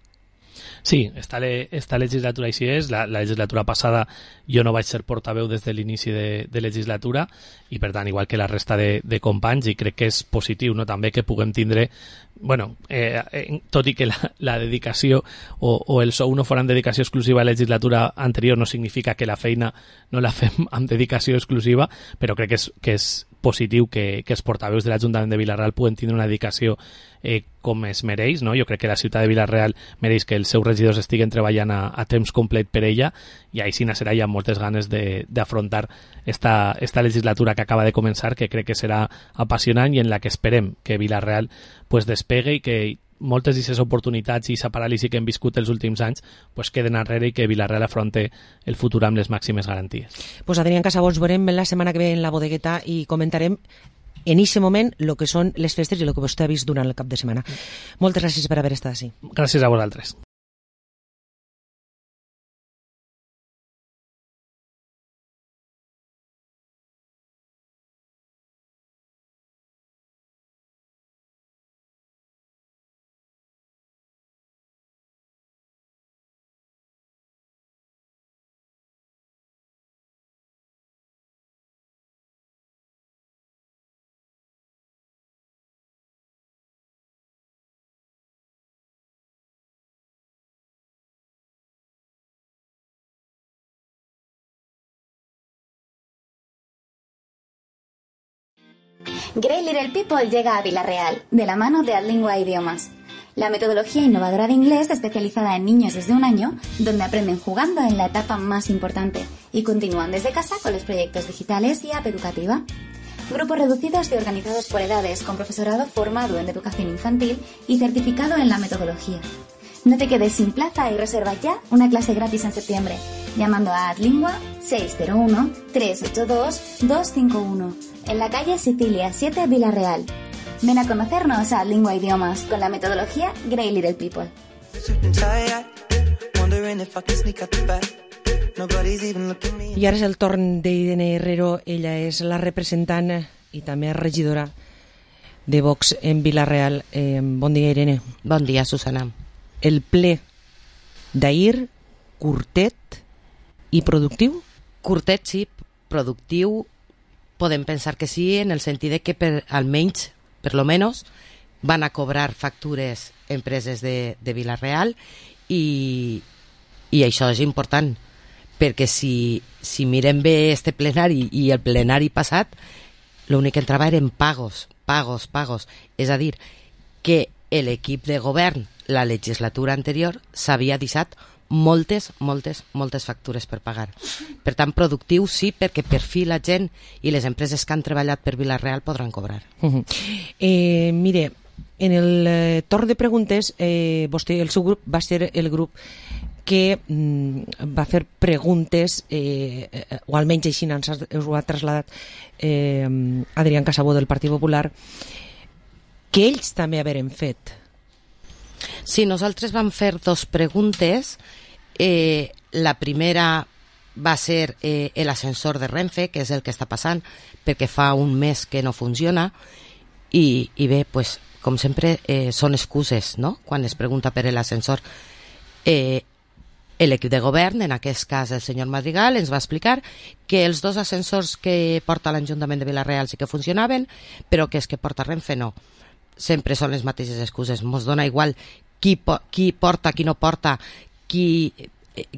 Sí, esta, le, esta legislatura així és. La, la legislatura passada jo no vaig ser portaveu des de l'inici de, de legislatura i per tant, igual que la resta de, de companys, i crec que és positiu, no? També que puguem tindre, bueno, eh, eh, tot i que la, la dedicació o, o el sou no foran dedicació exclusiva a la legislatura anterior, no significa que la feina no la fem amb dedicació exclusiva, però crec que és, que és positiu que, que els portaveus de l'Ajuntament de Vilareal puguen tindre una dedicació eh, com es mereix, no? Jo crec que la ciutat de Vilareal mereix que els seus regidors estiguen treballant a, a temps complet per ella, i així serà ja moltes ganes d'afrontar esta, esta legislatura que acaba de començar, que crec que serà apassionant i en la que esperem que Vilareal pues, despegue i que moltes d'aquestes oportunitats i aquesta paràlisi que hem viscut els últims anys pues, queden enrere i que Vilareal afronte el futur amb les màximes garanties. Pues Adrián Casabons, veurem la setmana que ve en la bodegueta i comentarem en aquest moment el que són les festes i el que vostè ha vist durant el cap de setmana. Moltes gràcies per haver estat així. Gràcies a vosaltres. Great Little People llega a Vilareal, de la mano de Adlingua Idiomas, la metodología innovadora de inglés especializada en niños desde un año, donde aprenden jugando en la etapa más importante y continúan desde casa con los proyectos digitales y app educativa. Grupos reducidos y organizados por edades, con profesorado formado en educación infantil y certificado en la metodología. No te quedes sin plaza y reserva ya una clase gratis en septiembre, llamando a Adlingua seis cero uno, tres ocho dos, dos cinco uno, en la calle Sicilia siete, Vilareal. Ven a conocernos a Adlingua Idiomas con la metodología Great Little People. I ara és el torn d'Irene Herrero. Ella és la representant i també regidora de Vox en Vila-real. Eh, bon dia, Irene. Bon dia, Susana. El ple d'ahir, curtet i productiu? Curtet, sí. Productiu, podem pensar que sí, en el sentit de que per, almenys, per lo menos, van a cobrar factures empreses de, de Vila-real i, i això és important, perquè si, si mirem bé este plenari i el plenari passat, l'únic que entrava eren pagos, pagos, pagos. És a dir, que l'equip de govern, la legislatura anterior, s'havia deixat moltes, moltes, moltes factures per pagar. Per tant, productiu sí, perquè per fi la gent i les empreses que han treballat per Vila-real podran cobrar. Uh-huh. eh, mire, en el eh, torn de preguntes, eh, vostè, el seu grup, va ser el grup que mm, va fer preguntes, eh, eh, o almenys així ens ho ha traslladat eh, Adrián Casabó del Partit Popular, que ells també haveren fet. Sí, nosaltres vam fer dos preguntes. Eh, la primera va ser eh, l'ascensor de Renfe, que és el que està passant, perquè fa un mes que no funciona, i, i bé, pues, com sempre, eh, són excuses, no?, quan es pregunta per l'ascensor. Eh, l'equip de govern, en aquest cas el senyor Madrigal, ens va explicar que els dos ascensors que porta l'Ajuntament de Vila-real sí que funcionaven, però que és que porta Renfe no. Sempre són les mateixes excuses. Mos dona igual qui, po qui porta, qui no porta, qui,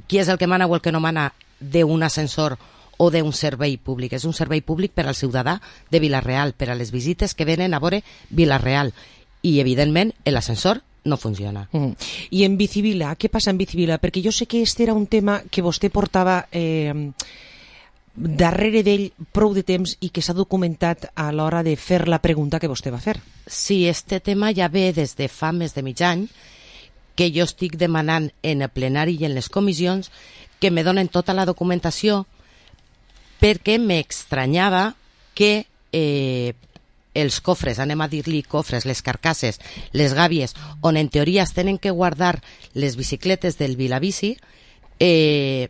qui és el que mana o el que no mana d'un ascensor o d'un servei públic. És un servei públic per al ciutadà de Vila-real, per a les visites que venen a veure Vila-real. I, evidentment, l'ascensor no funciona. Mm. I en Bicivila, què passa en Bicivila? Perquè jo sé que este era un tema que vostè portava eh, darrere d'ell prou de temps i que s'ha documentat a l'hora de fer la pregunta que vostè va fer. Sí, este tema ja ve des de fa més de mig any, que jo estic demanant en el plenari i en les comissions que me donen tota la documentació, perquè m'extranyava que eh, els cofres, anem a dir-li cofres, les carcasses, les gàbies, on en teoria es tenen que guardar les bicicletes del Vilabici, eh,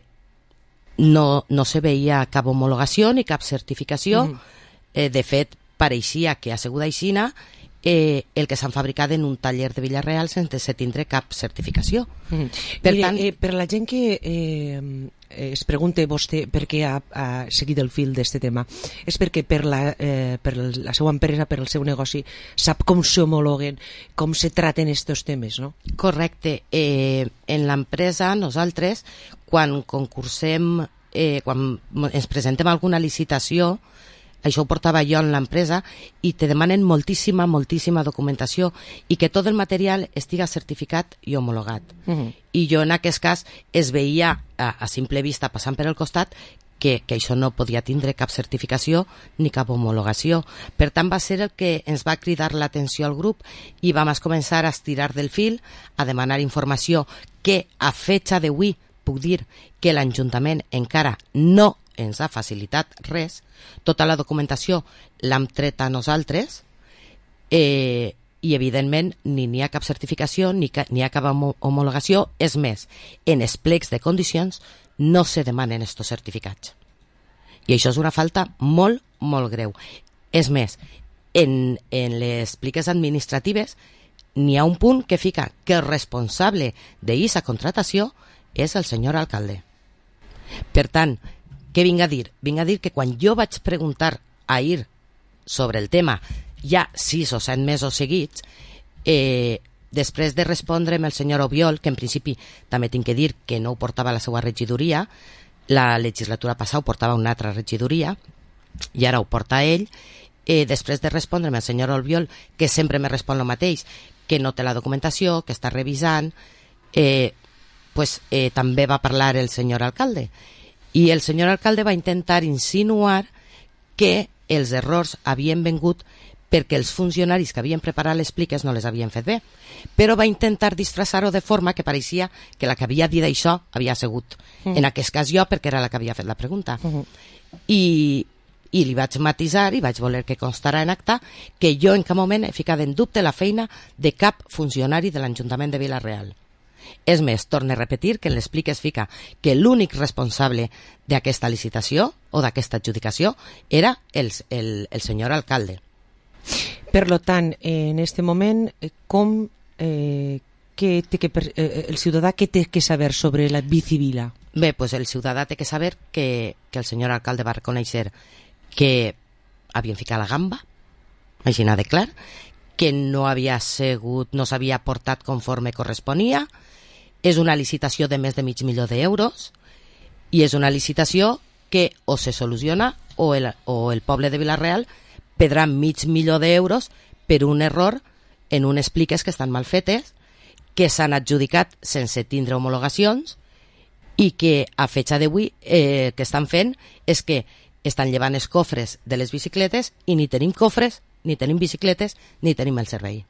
no, no se veia cap homologació ni cap certificació. Mm. Eh, de fet, pareixia que a Seguda Aixina eh, el que s'han fabricat en un taller de Vila-real sense tindre cap certificació. Mm. Per Mire, tant, eh, per la gent que eh, es pregunta vostè per què ha, ha seguit el fil d'aquest tema, és perquè per la, eh, per la seva empresa, per el seu negoci, sap com s'homologuen, com se traten aquests temes, no? Correcte. Eh, en l'empresa, nosaltres, quan concursem, eh, quan ens presentem alguna licitació, això ho portava jo en l'empresa, i te demanen moltíssima, moltíssima documentació i que tot el material estiga certificat i homologat. Uh-huh. I jo en aquest cas es veia a, a simple vista passant per el costat que, que això no podia tindre cap certificació ni cap homologació. Per tant, va ser el que ens va cridar l'atenció al grup i vam començar a estirar del fil, a demanar informació que a fetxa d'avui puc dir que l'Ajuntament encara no ens ha facilitat res. Tota la documentació l'hem tret a nosaltres, eh, i evidentment ni n'hi ha cap certificació ni n'hi ha cap homologació. És més, en els plecs de condicions no se demanen estos certificats, i això és una falta molt, molt greu. És més, en, en les pliques administratives n'hi ha un punt que fica que el responsable d'aquesta contratació és el senyor alcalde. Per tant, què vinc a dir? Vinc a dir que quan jo vaig preguntar ahir sobre el tema, ja sis o set mesos seguits, eh, després de respondre'm el senyor Obiol, que en principi també tinc que dir que no ho portava la seva regidoria, la legislatura passada ho portava una altra regidoria, i ara ho porta ell, eh, després de respondre'm el senyor Obiol, que sempre me respon el mateix, que no té la documentació, que està revisant, eh, pues, eh, també va parlar el senyor alcalde. I el senyor alcalde va intentar insinuar que els errors havien vengut perquè els funcionaris que havien preparat les pliques no les havien fet bé, però va intentar disfressar-ho de forma que pareixia que la que havia dit això havia sigut, mm. en aquest cas jo, perquè era la que havia fet la pregunta. Mm -hmm. I, i li vaig matisar i vaig voler que constara en acta que jo en cap moment he ficat en dubte la feina de cap funcionari de l'Ajuntament de Vila-real. És més, torne a repetir que en l'explic es fica que l'únic responsable d'aquesta licitació o d'aquesta adjudicació era el, el, el senyor alcalde. Per lo tant, en este moment, com eh, que té que, eh, el ciutadà què té que saber sobre la bicivila? Bé, pues el ciutadà té que saber que, que el senyor alcalde va reconèixer que havien ficat la gamba, així n'ha de clar, que no havia sigut, no s'havia portat conforme corresponia, és una licitació de més de mig milió d'euros i és una licitació que o se soluciona o el, o el poble de Vila-real perdrà mig milió d'euros per un error en unes pliques que estan mal fetes, que s'han adjudicat sense tindre homologacions i que a fecha d'avui eh, que estan fent és que estan llevant els cofres de les bicicletes i ni tenim cofres, ni tenim bicicletes, ni tenim el servei.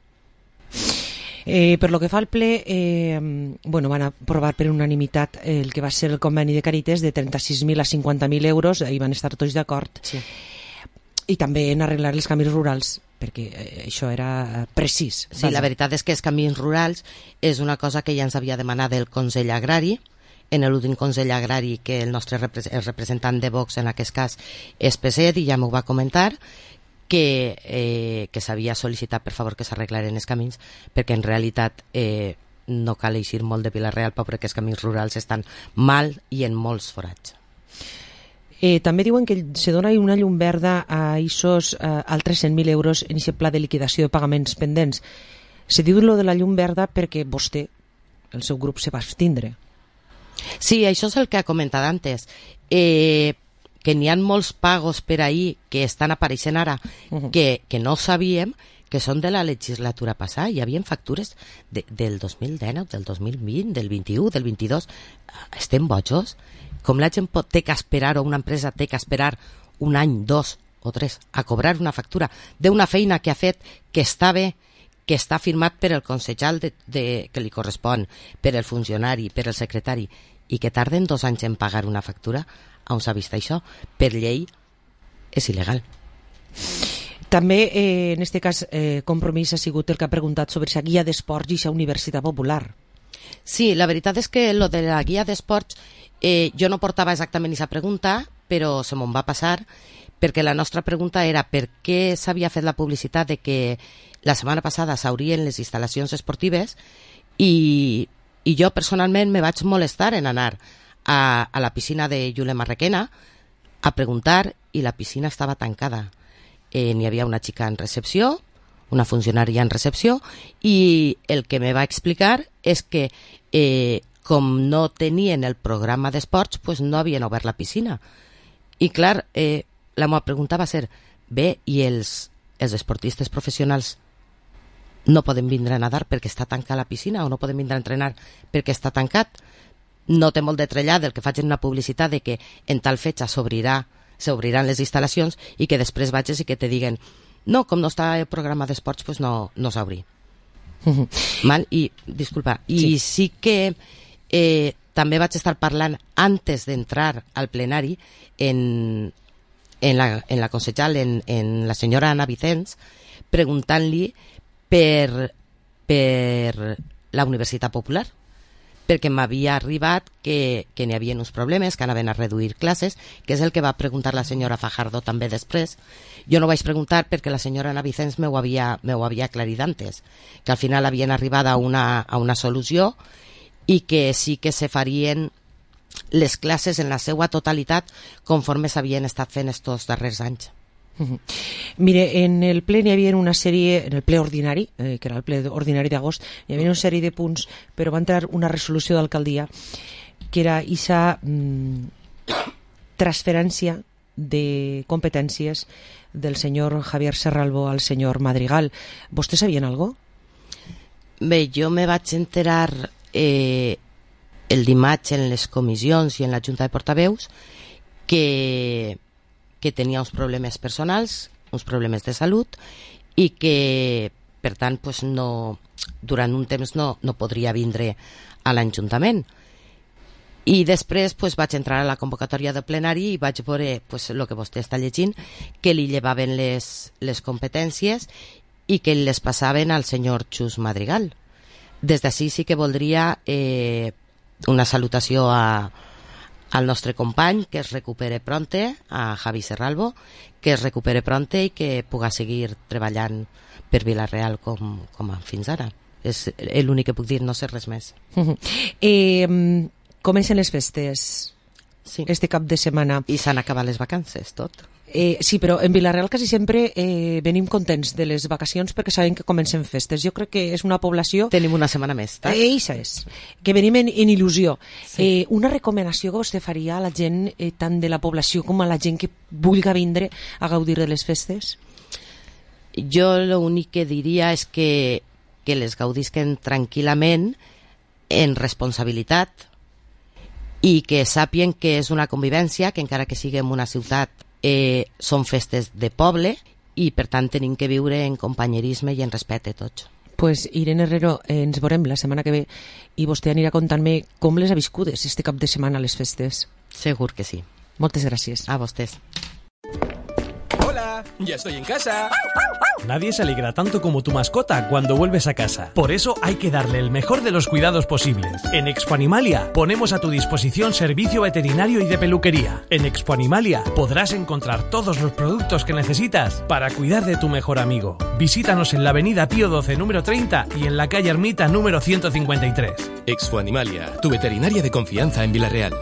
Eh, per lo que fa al ple, eh, bueno, van aprovar per unanimitat el que va ser el conveni de Càritas de trenta-sis mil a cinquanta mil euros, ahí van estar tots d'acord. Sí. I també en arreglar els camins rurals, perquè eh, això era precís. Sí, vaja. La veritat és que els camins rurals és una cosa que ja ens havia demanat el Consell Agrari, en l'últim Consell Agrari que el nostre repre- el representant de Vox en aquest cas és Peset i ja m'ho va comentar, que, eh, que s'havia sol·licitat per favor que s'arreglaren els camins, perquè en realitat eh, no cal eixir molt de Vila-real perquè els camins rurals estan mal i en molts forats. Eh, també diuen que se dona una llum verda a aquests eh, altres cent mil euros en aquest pla de liquidació de pagaments pendents. Se diu lo de la llum verda perquè vostè, el seu grup, se va abstindre. Sí, això és el que ha comentat antes. Eh, que n'hi ha molts pagos per ahí que estan apareixent ara uh-huh. que, que no sabíem que són de la legislatura passada. Hi havia factures de, del dos mil dinou, del dos mil vint, del vint-i-u, del vint-i-dos. Estem bojos? Com la gent pot, té que esperar, o una empresa té que esperar un any, dos o tres a cobrar una factura d'una feina que ha fet, que està bé, que està firmat per el concejal de, de, que li correspon, per el funcionari, per el secretari, i que tarden dos anys en pagar una factura? On s'ha vist això? Per llei és il·legal. També, eh, en aquest cas, eh, Compromís ha sigut el que ha preguntat sobre la guia d'esports i la Universitat Popular. Sí, la veritat és que lo de la guia d'esports eh, jo no portava exactament aquesta pregunta, però se me'n va passar, perquè la nostra pregunta era per què s'havia fet la publicitat de que la setmana passada s'haurien les instal·lacions esportives i, i jo personalment me vaig molestar en anar a, a la piscina de Jule Marrequena a preguntar i la piscina estava tancada. Eh, n'hi havia una xica en recepció, una funcionària en recepció, i el que me va explicar és que eh, com no tenien el programa d'esports, pues no havien obert la piscina. I clar, eh, la meva pregunta va ser, bé, i els, els esportistes professionals no poden vindre a nadar perquè està tancada la piscina o no poden vindre a entrenar perquè està tancat? No té molt de trellar del que facin una publicitat de que en tal fetge s'obrirà, s'obriran les instal·lacions i que després vagis i que te diguen no, com no està el programa d'esports, pues no, no s'obri. Mal? I, disculpa, i sí, sí que eh, també vaig estar parlant antes d'entrar al plenari en, en, la, en la consellal, en, en la senyora Ana Vicens, preguntant-li per, per la Universitat Popular, perquè m'havia arribat que, que n'hi havia uns problemes, que anaven a reduir classes, que és el que va preguntar la senyora Fajardo també després. Jo no vaig preguntar perquè la senyora Ana Vicens m'ho havia, m'ho havia aclarit antes, que al final havien arribat a una, a una solució i que sí que se farien les classes en la seva totalitat conforme s'havien estat fent estos darrers anys. Uh-huh. Mire, en el ple n'hi havia una sèrie, en el ple ordinari, eh, que era el ple ordinari d'agost, hi havia una sèrie de punts, però va entrar una resolució d'alcaldia que era aquesta mm, transferència de competències del senyor Javier Serralbo al senyor Madrigal. ¿Vostès sabien algo? Bé, jo me vaig enterar eh, el dimarts en les comissions i en la Junta de Portaveus que que tenia uns problemes personals, uns problemes de salut i que, per tant, pues no, durant un temps no, no podria vindre a l'Ajuntament. I després pues, vaig entrar a la convocatòria del plenari i vaig veure pues, el que vostè està llegint, que li llevaven les, les competències i que les passaven al senyor Xus Madrigal. des d'ací sí que voldria eh, una salutació a, al nostre company, que es recupere pronte, a Javi Serralvo, que es recupere pronte i que puga seguir treballant per Vila-real com, com fins ara. És l'únic que puc dir, no sé res més. eh, comencen les festes sí. este cap de setmana. I s'han acabat les vacances, tot. Eh, sí, però en Vila-real quasi sempre eh, venim contents de les vacacions perquè sabem que comencen festes. Jo crec que és una població... Tenim una setmana més, tak? Eh, això és. Que venim en, en il·lusió. Sí. Eh, una recomanació que vostè faria a la gent, eh, tant de la població com a la gent que vulgui vindre a gaudir de les festes? Jo l'únic que diria és que, que les gaudisquen tranquil·lament, en responsabilitat, i que sàpien que és una convivència, que encara que sigui en una ciutat Eh, són festes de poble i per tant tenim que viure en companyerisme i en respecte tots. Pues Irene Herrero, eh, ens veurem la setmana que ve i vostè anirà contant-me com les ha viscudes este cap de setmana a les festes. Segur que sí. Moltes gràcies. A vostès. Hola, ya estoy en casa. Nadie se alegra tanto como tu mascota cuando vuelves a casa. Por eso hay que darle el mejor de los cuidados posibles. En Expo Animalia ponemos a tu disposición servicio veterinario y de peluquería. En Expo Animalia podrás encontrar todos los productos que necesitas para cuidar de tu mejor amigo. Visítanos en la avenida Pío doce número treinta y en la calle Ermita número ciento cincuenta y tres. Expo Animalia, tu veterinaria de confianza en Vila-real.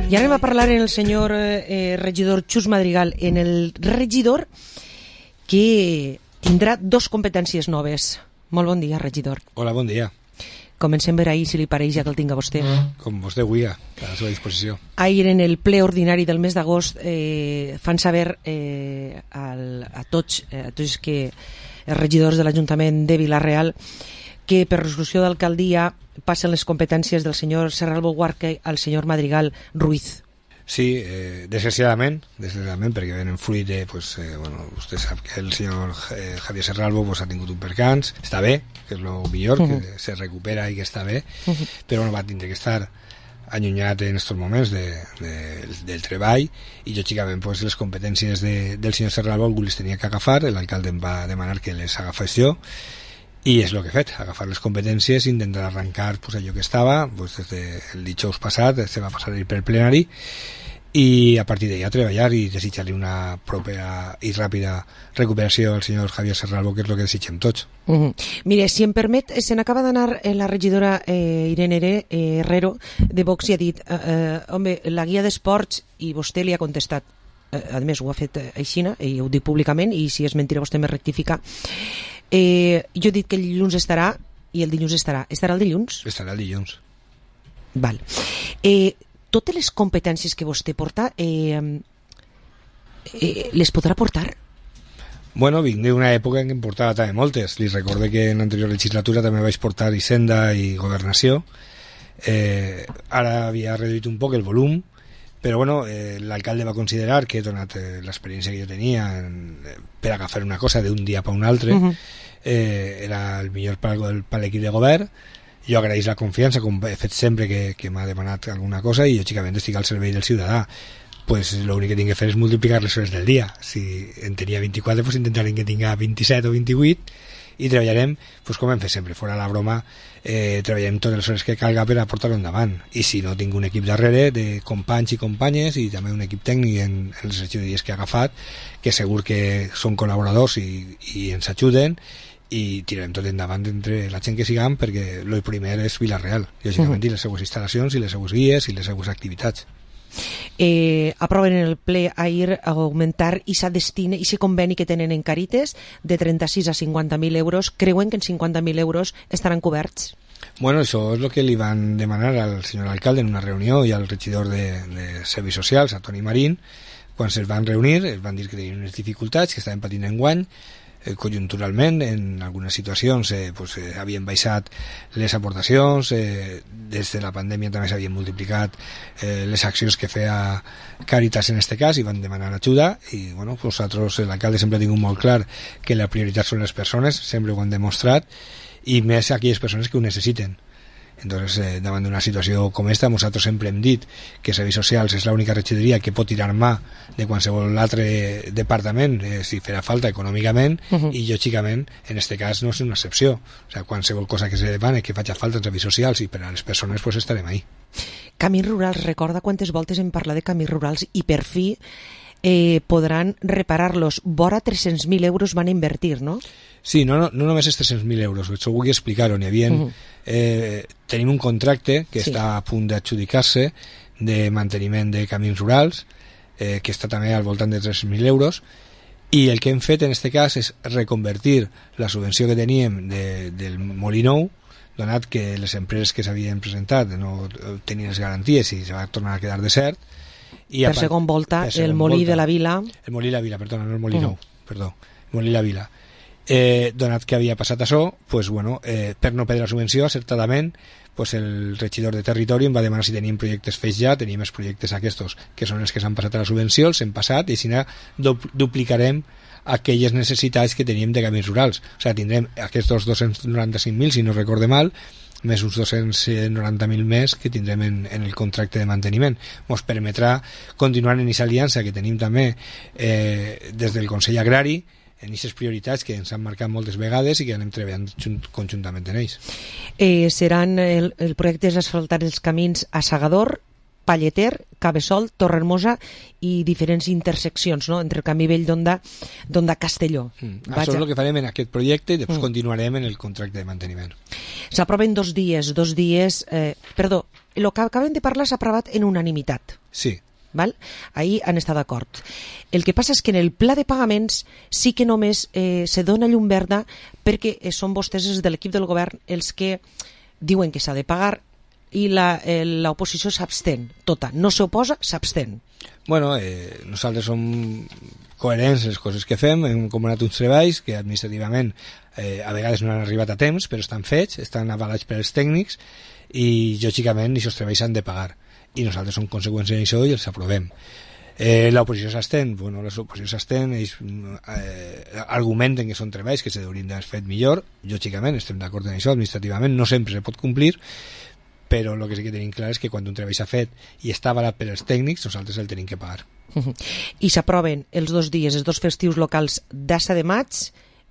I ara anem a parlar en el senyor eh, regidor Xus Madrigal, en el regidor que tindrà dos competències noves. Molt bon dia, regidor. Hola, bon dia. Comencem per ahir, si li pareix, ja que el tinga vostè. Com vostè vulgui, a la seva disposició. Ahir, en el ple ordinari del mes d'agost, eh, fan saber eh, al, a tots, eh, a tots que els regidors de l'Ajuntament de Vila-real que per resolució d'alcaldia passen les competències del senyor Serralvo Guarque al senyor Madrigal Ruiz. Sí, eh, desgraciadament, desgraciadament, perquè venen fruit de, pues, eh, bueno, vostè sap que el senyor eh, Javier Serralvo pues, ha tingut un percans, està bé, que és el millor, uh-huh. que se recupera i que està bé, uh-huh. però no va tindre que estar allunyat en aquests moments de, de, del treball i lògicament pues, les competències de, del senyor Serralvo algú les tenia que agafar, l'alcalde em va demanar que les agafés jo i és el que he fet, agafar les competències i intentar arrencar pues, allò que estava pues, des del dijous passat, se va passar per plenari i a partir d'allà treballar i desitjar-li una propera i ràpida recuperació al senyor Javier Serralvo, que és el que desitgem tots. Uh-huh. Mire, si em permet, se n'acaba d'anar la regidora eh, Irene eh, Herrero de Vox i ha dit eh, eh, home, la guia d'esports, i vostè li ha contestat, eh, a més ho ha fet així, i ho dic públicament, i si és mentira vostè me rectifica. Eh, jo he dit que el dilluns estarà i el dilluns estarà. Estarà el dilluns? Estarà el dilluns. Val. Eh, totes les competències que vostè porta eh, eh, les podrà portar? Bueno, vinc d'una època en què em portava també moltes. Li recorde que en l'anterior legislatura també vaig portar Hisenda i Governació. Eh, ara havia reduït un poc el volum, però bueno, eh, l'alcalde va considerar que, donat eh, l'experiència que jo tenia en, eh, per agafar una cosa d'un dia per un altre, uh-huh. eh, era el millor per, per l'equip de govern. Jo agraeix la confiança, com he fet sempre que, que m'ha demanat alguna cosa, i lògicament estic al servei del ciutadà. Pues l'únic que tinc que fer és multiplicar les hores del dia. Si en tenia vint-i-quatre, pues intentarem que tinga vint-i-set o vint-i-vuit, i treballarem, pues com hem fet sempre, fora la broma, eh, treballarem totes les hores que calga per a portar-ho endavant. I si no, tinc un equip darrere de companys i companyes i també un equip tècnic en, en les regidories que he agafat, que segur que són col·laboradors i, i ens ajuden, i tirarem tot endavant entre la gent que siguem, perquè el primer és Vila-real, lògicament, uh-huh. i les seues instal·lacions, i les seues guies, i les seues activitats. Eh, aproven en el ple ahir a augmentar i se destina i se conveni que tenen en Càrites de trenta-sis a cinquanta mil euros. Creuen que en cinquanta mil euros estaran coberts? Bueno, això és el que li van demanar al senyor alcalde en una reunió i al regidor de, de Serveis Socials, a Toni Marín. Quan se'ls van reunir, els van dir que tenien unes dificultats, que estaven patint enguany, eh, conjunturalment, en algunes situacions eh, pues, eh, havien baixat les aportacions, eh, des de la pandèmia també s'havien multiplicat eh, les accions que feia Càritas en este cas, i van demanar ajuda, i bueno, nosaltres, l'alcalde sempre ha tingut molt clar que la prioritat són les persones, sempre ho han demostrat, i més aquelles persones que ho necessiten. Entonces, eh, davant d'una situació com esta, nosaltres sempre hem dit que Serveis Socials és l'única regidoria que pot tirar mà de qualsevol altre departament, eh, si farà falta econòmicament, uh-huh. i lògicament, en aquest cas no és una excepció. O sigui, qualsevol cosa que se demane que faci falta en Serveis Socials i per a les persones, pues estarem ahí. Camins rurals, recorda quantes voltes hem parlat de camins rurals i per fi eh, podran reparar-los. Vora tres-cents mil euros van invertir, no? Sí, no, no, no només és tres-cents mil euros, això vull explicar-ho. N'hi havia, uh-huh. eh, tenim un contracte que sí. està a punt d'adjudicar-se de manteniment de camins rurals, eh, que està també al voltant de tres-cents mil euros, i el que hem fet en aquest cas és reconvertir la subvenció que teníem de, del Molí Nou, donat que les empreses que s'havien presentat no tenien les garanties i se va tornar a quedar desert. I per segon volta, per segon el Molí volta, de la Vila... El Molí de la Vila, perdona, no el Molí uh-huh. Nou, perdó, el Molí de la Vila. Eh, donat que havia passat això, pues, bueno, eh, per no perdre la subvenció, acertadament, pues, el regidor de territori em va demanar si teníem projectes fets ja, teníem els projectes aquests, que són els que s'han passat a la subvenció, els hem passat, i si no, du duplicarem aquelles necessitats que teníem de camins rurals. O sigui, tindrem aquests dos-cents noranta-cinc mil, si no recorde mal, més uns dos-cents noranta mil més que tindrem en, en el contracte de manteniment. Ens permetrà continuar en aquesta aliança que tenim també eh, des del Consell Agrari, en aquestes prioritats que ens han marcat moltes vegades i que anem treballant conjuntament en ells. Eh, seran el, el projecte és asfaltar els camins a Segador, Palleter, Cabeçol, Torrehermosa i diferents interseccions, no?, entre el camí vell d'Onda Castelló. Mm. Això és el que farem en aquest projecte i després mm. continuarem en el contracte de manteniment. S'aproven dos dies, dos dies... Eh, perdó, el que acabem de parlar s'ha aprovat en unanimitat. Sí. Val? Ahir han estat d'acord. El que passa és que en el pla de pagaments sí que només eh, se dona llum verda perquè eh, són vostès de l'equip del govern els que diuen que s'ha de pagar i l'oposició s'abstén, tota, no s'oposa, s'abstén. Bueno, eh, nosaltres som coherents les coses que fem, hem comanat uns treballs que administrativament eh, a vegades no han arribat a temps, però estan fets, estan avalats per els tècnics i lògicament aquests treballs s'han de pagar i nosaltres som conseqüents en això i els aprovem. Eh, l'oposició s'estén, bueno, l'oposició s'estén, ells eh, argumenten que són treballs que s'haurien d'haver fet millor, lògicament estem d'acord en això, administrativament no sempre se pot complir, però el que sí que tenim clar és que quan un treball s'ha fet i està avalat per als tècnics, nosaltres el tenim que pagar. I s'aproven els dos dies, els dos festius locals d'Assa de Maig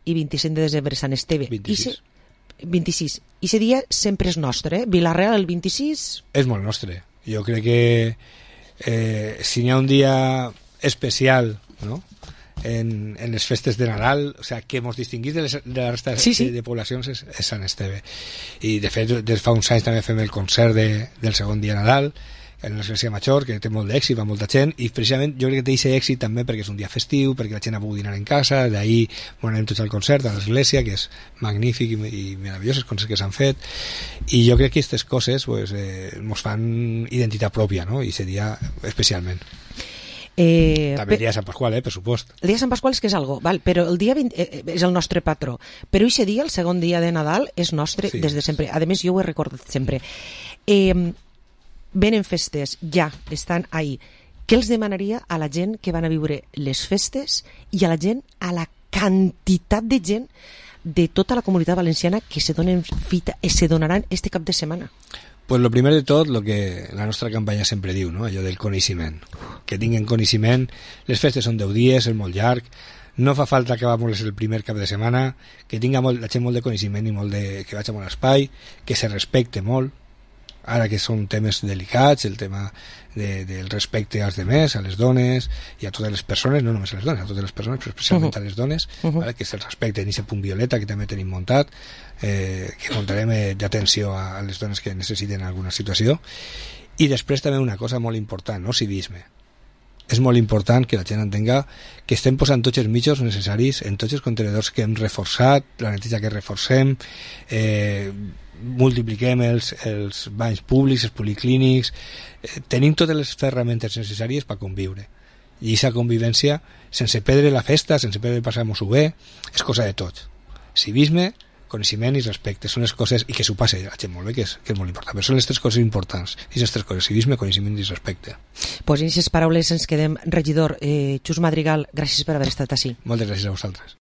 i vint-i-cinc de desembre, Sant Esteve. vint-i-sis. vint-i-sis. I aquest dia sempre és nostre, eh? Vila-real el vint-i-sis... És molt nostre. Jo crec que eh, si n'hi ha un dia especial, no?, en, en les festes de Nadal, o sea, que ens distinguís de, les, de la resta sí, sí. de, de poblacions és, és Sant Esteve. I de fet, des fa uns anys també fem el concert de, del segon dia de Nadal en l'església Major, que té molt d'èxit, va molta gent, i precisament jo crec que té aquest èxit també perquè és un dia festiu, perquè la gent ha pogut dinar en casa, d'ahir bueno, anem tots al concert a l'església, que és magnífic i, i meravellós, els concerts que s'han fet, i jo crec que aquestes coses pues, eh, ens fan identitat pròpia, no?, i aquest dia especialment. Eh, també el dia de Sant Pasqual, eh, per supost. El dia de Sant Pasqual és que és algo, val? Però el dia vint eh, és el nostre patró. Però aquest dia, el segon dia de Nadal, és nostre sí. des de sempre. A més, jo ho he recordat sempre. Eh, venen festes, ja, estan ahí. Què els demanaria a la gent que van a viure les festes i a la gent, a la quantitat de gent de tota la comunitat valenciana que se donen fita, se donaran este cap de setmana? Pues lo primer de tot, lo que la nostra campanya sempre diu, no?, allò del coneixement. Que tinguin coneixement, les festes són deu dies, és molt llarg, no fa falta que vamos el primer cap de setmana, que tinga molt, la gent molt de coneixement i molt de, que vagi a molt espai, que se respecte molt, ara que són temes delicats, el tema de, del respecte als demés, a les dones i a totes les persones, no només a les dones, a totes les persones, però especialment uh-huh. a les dones, uh-huh. vale? Que se'ls respecte en aquest punt violeta que també tenim muntat, eh, que muntarem eh, d'atenció a, a les dones que necessiten alguna situació. I després també una cosa molt important, no? Civisme. És molt important que la gent entenga que estem posant tots els mitjans necessaris en tots els contenidors que hem reforçat, la neteja que reforcem, eh, multipliquem els, els banys públics, els policlínics, eh, tenim totes les ferramentes necessàries per conviure. I aquesta convivència, sense perdre la festa, sense perdre passar-nos-ho bé, és cosa de tots. Civisme, coneixement i respecte, són les coses, i que s'ho passe a la gent molt bé, que és, que és molt important, però són les tres coses importants, i les tres coses, civisme, coneixement i respecte. Pues en aquestes paraules ens quedem. Regidor eh, Xus Madrigal, gràcies per haver estat així. Moltes gràcies a vosaltres.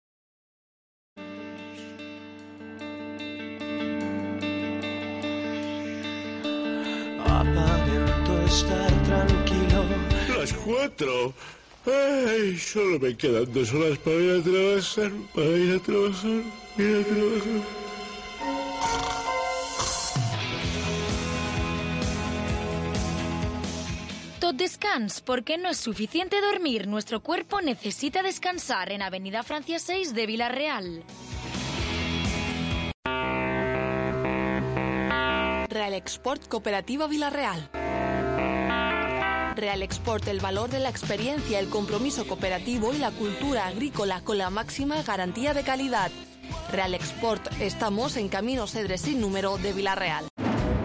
aparento estar tranquilo. Las cuatro. Ay, solo me quedan dos horas para ir a trabajar, para ir a trabajar, ir a trabajar. Tot descans, porque no es suficiente dormir. Nuestro cuerpo necesita descansar en Avenida Francia seis de Villarreal. Real Export Cooperativa Villarreal. Real Export, el valor de la experiencia, el compromiso cooperativo y la cultura agrícola con la máxima garantía de calidad. Real Export, estamos en Camino Cedre sin número de Villarreal.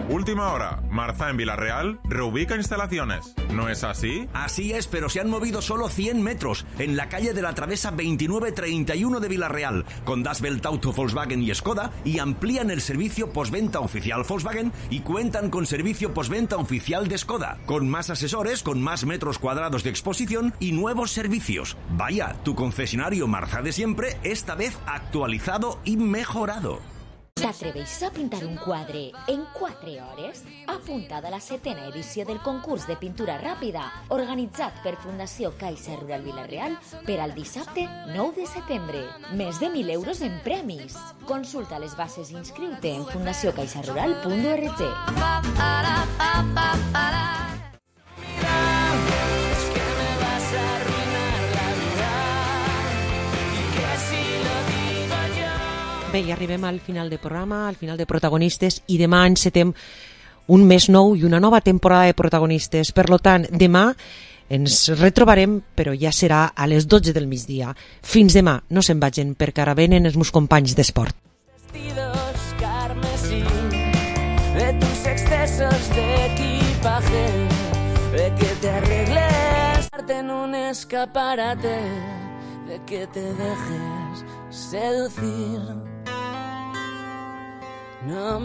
Última hora, Marza en Villarreal reubica instalaciones. ¿No es así? Así es, pero se han movido solo cien metros en la calle de la Travesa veintinueve treinta y uno de Villarreal, con Das Welt Auto, Volkswagen y Skoda, y amplían el servicio postventa oficial Volkswagen y cuentan con servicio postventa oficial de Skoda, con más asesores, con más metros cuadrados de exposición y nuevos servicios. Vaya, tu concesionario Marza de siempre, esta vez actualizado i mejorado. T'atreveixes a pintar un quadre en quatre hores? Apuntada a la setena edició del concurs de pintura ràpida, organitzat per Fundació Caixa Rural Villarreal per al dissabte nou de setembre. Més de mil euros en premis. Consulta les bases i inscriu-te en fundació caixa rural punt org. Bé, i arribem al final del programa, al final de Protagonistes, i demà encetem un mes nou i una nova temporada de Protagonistes. Per lo tant, demà ens retrobarem, però ja serà a les dotze del migdia. Fins demà, no se'n vagin, perquè ara venen els meus companys d'esport. Vestidos carmesí, de tus excesos de equipaje, de que te arregles en un escaparate, de que te dejes seducir. No me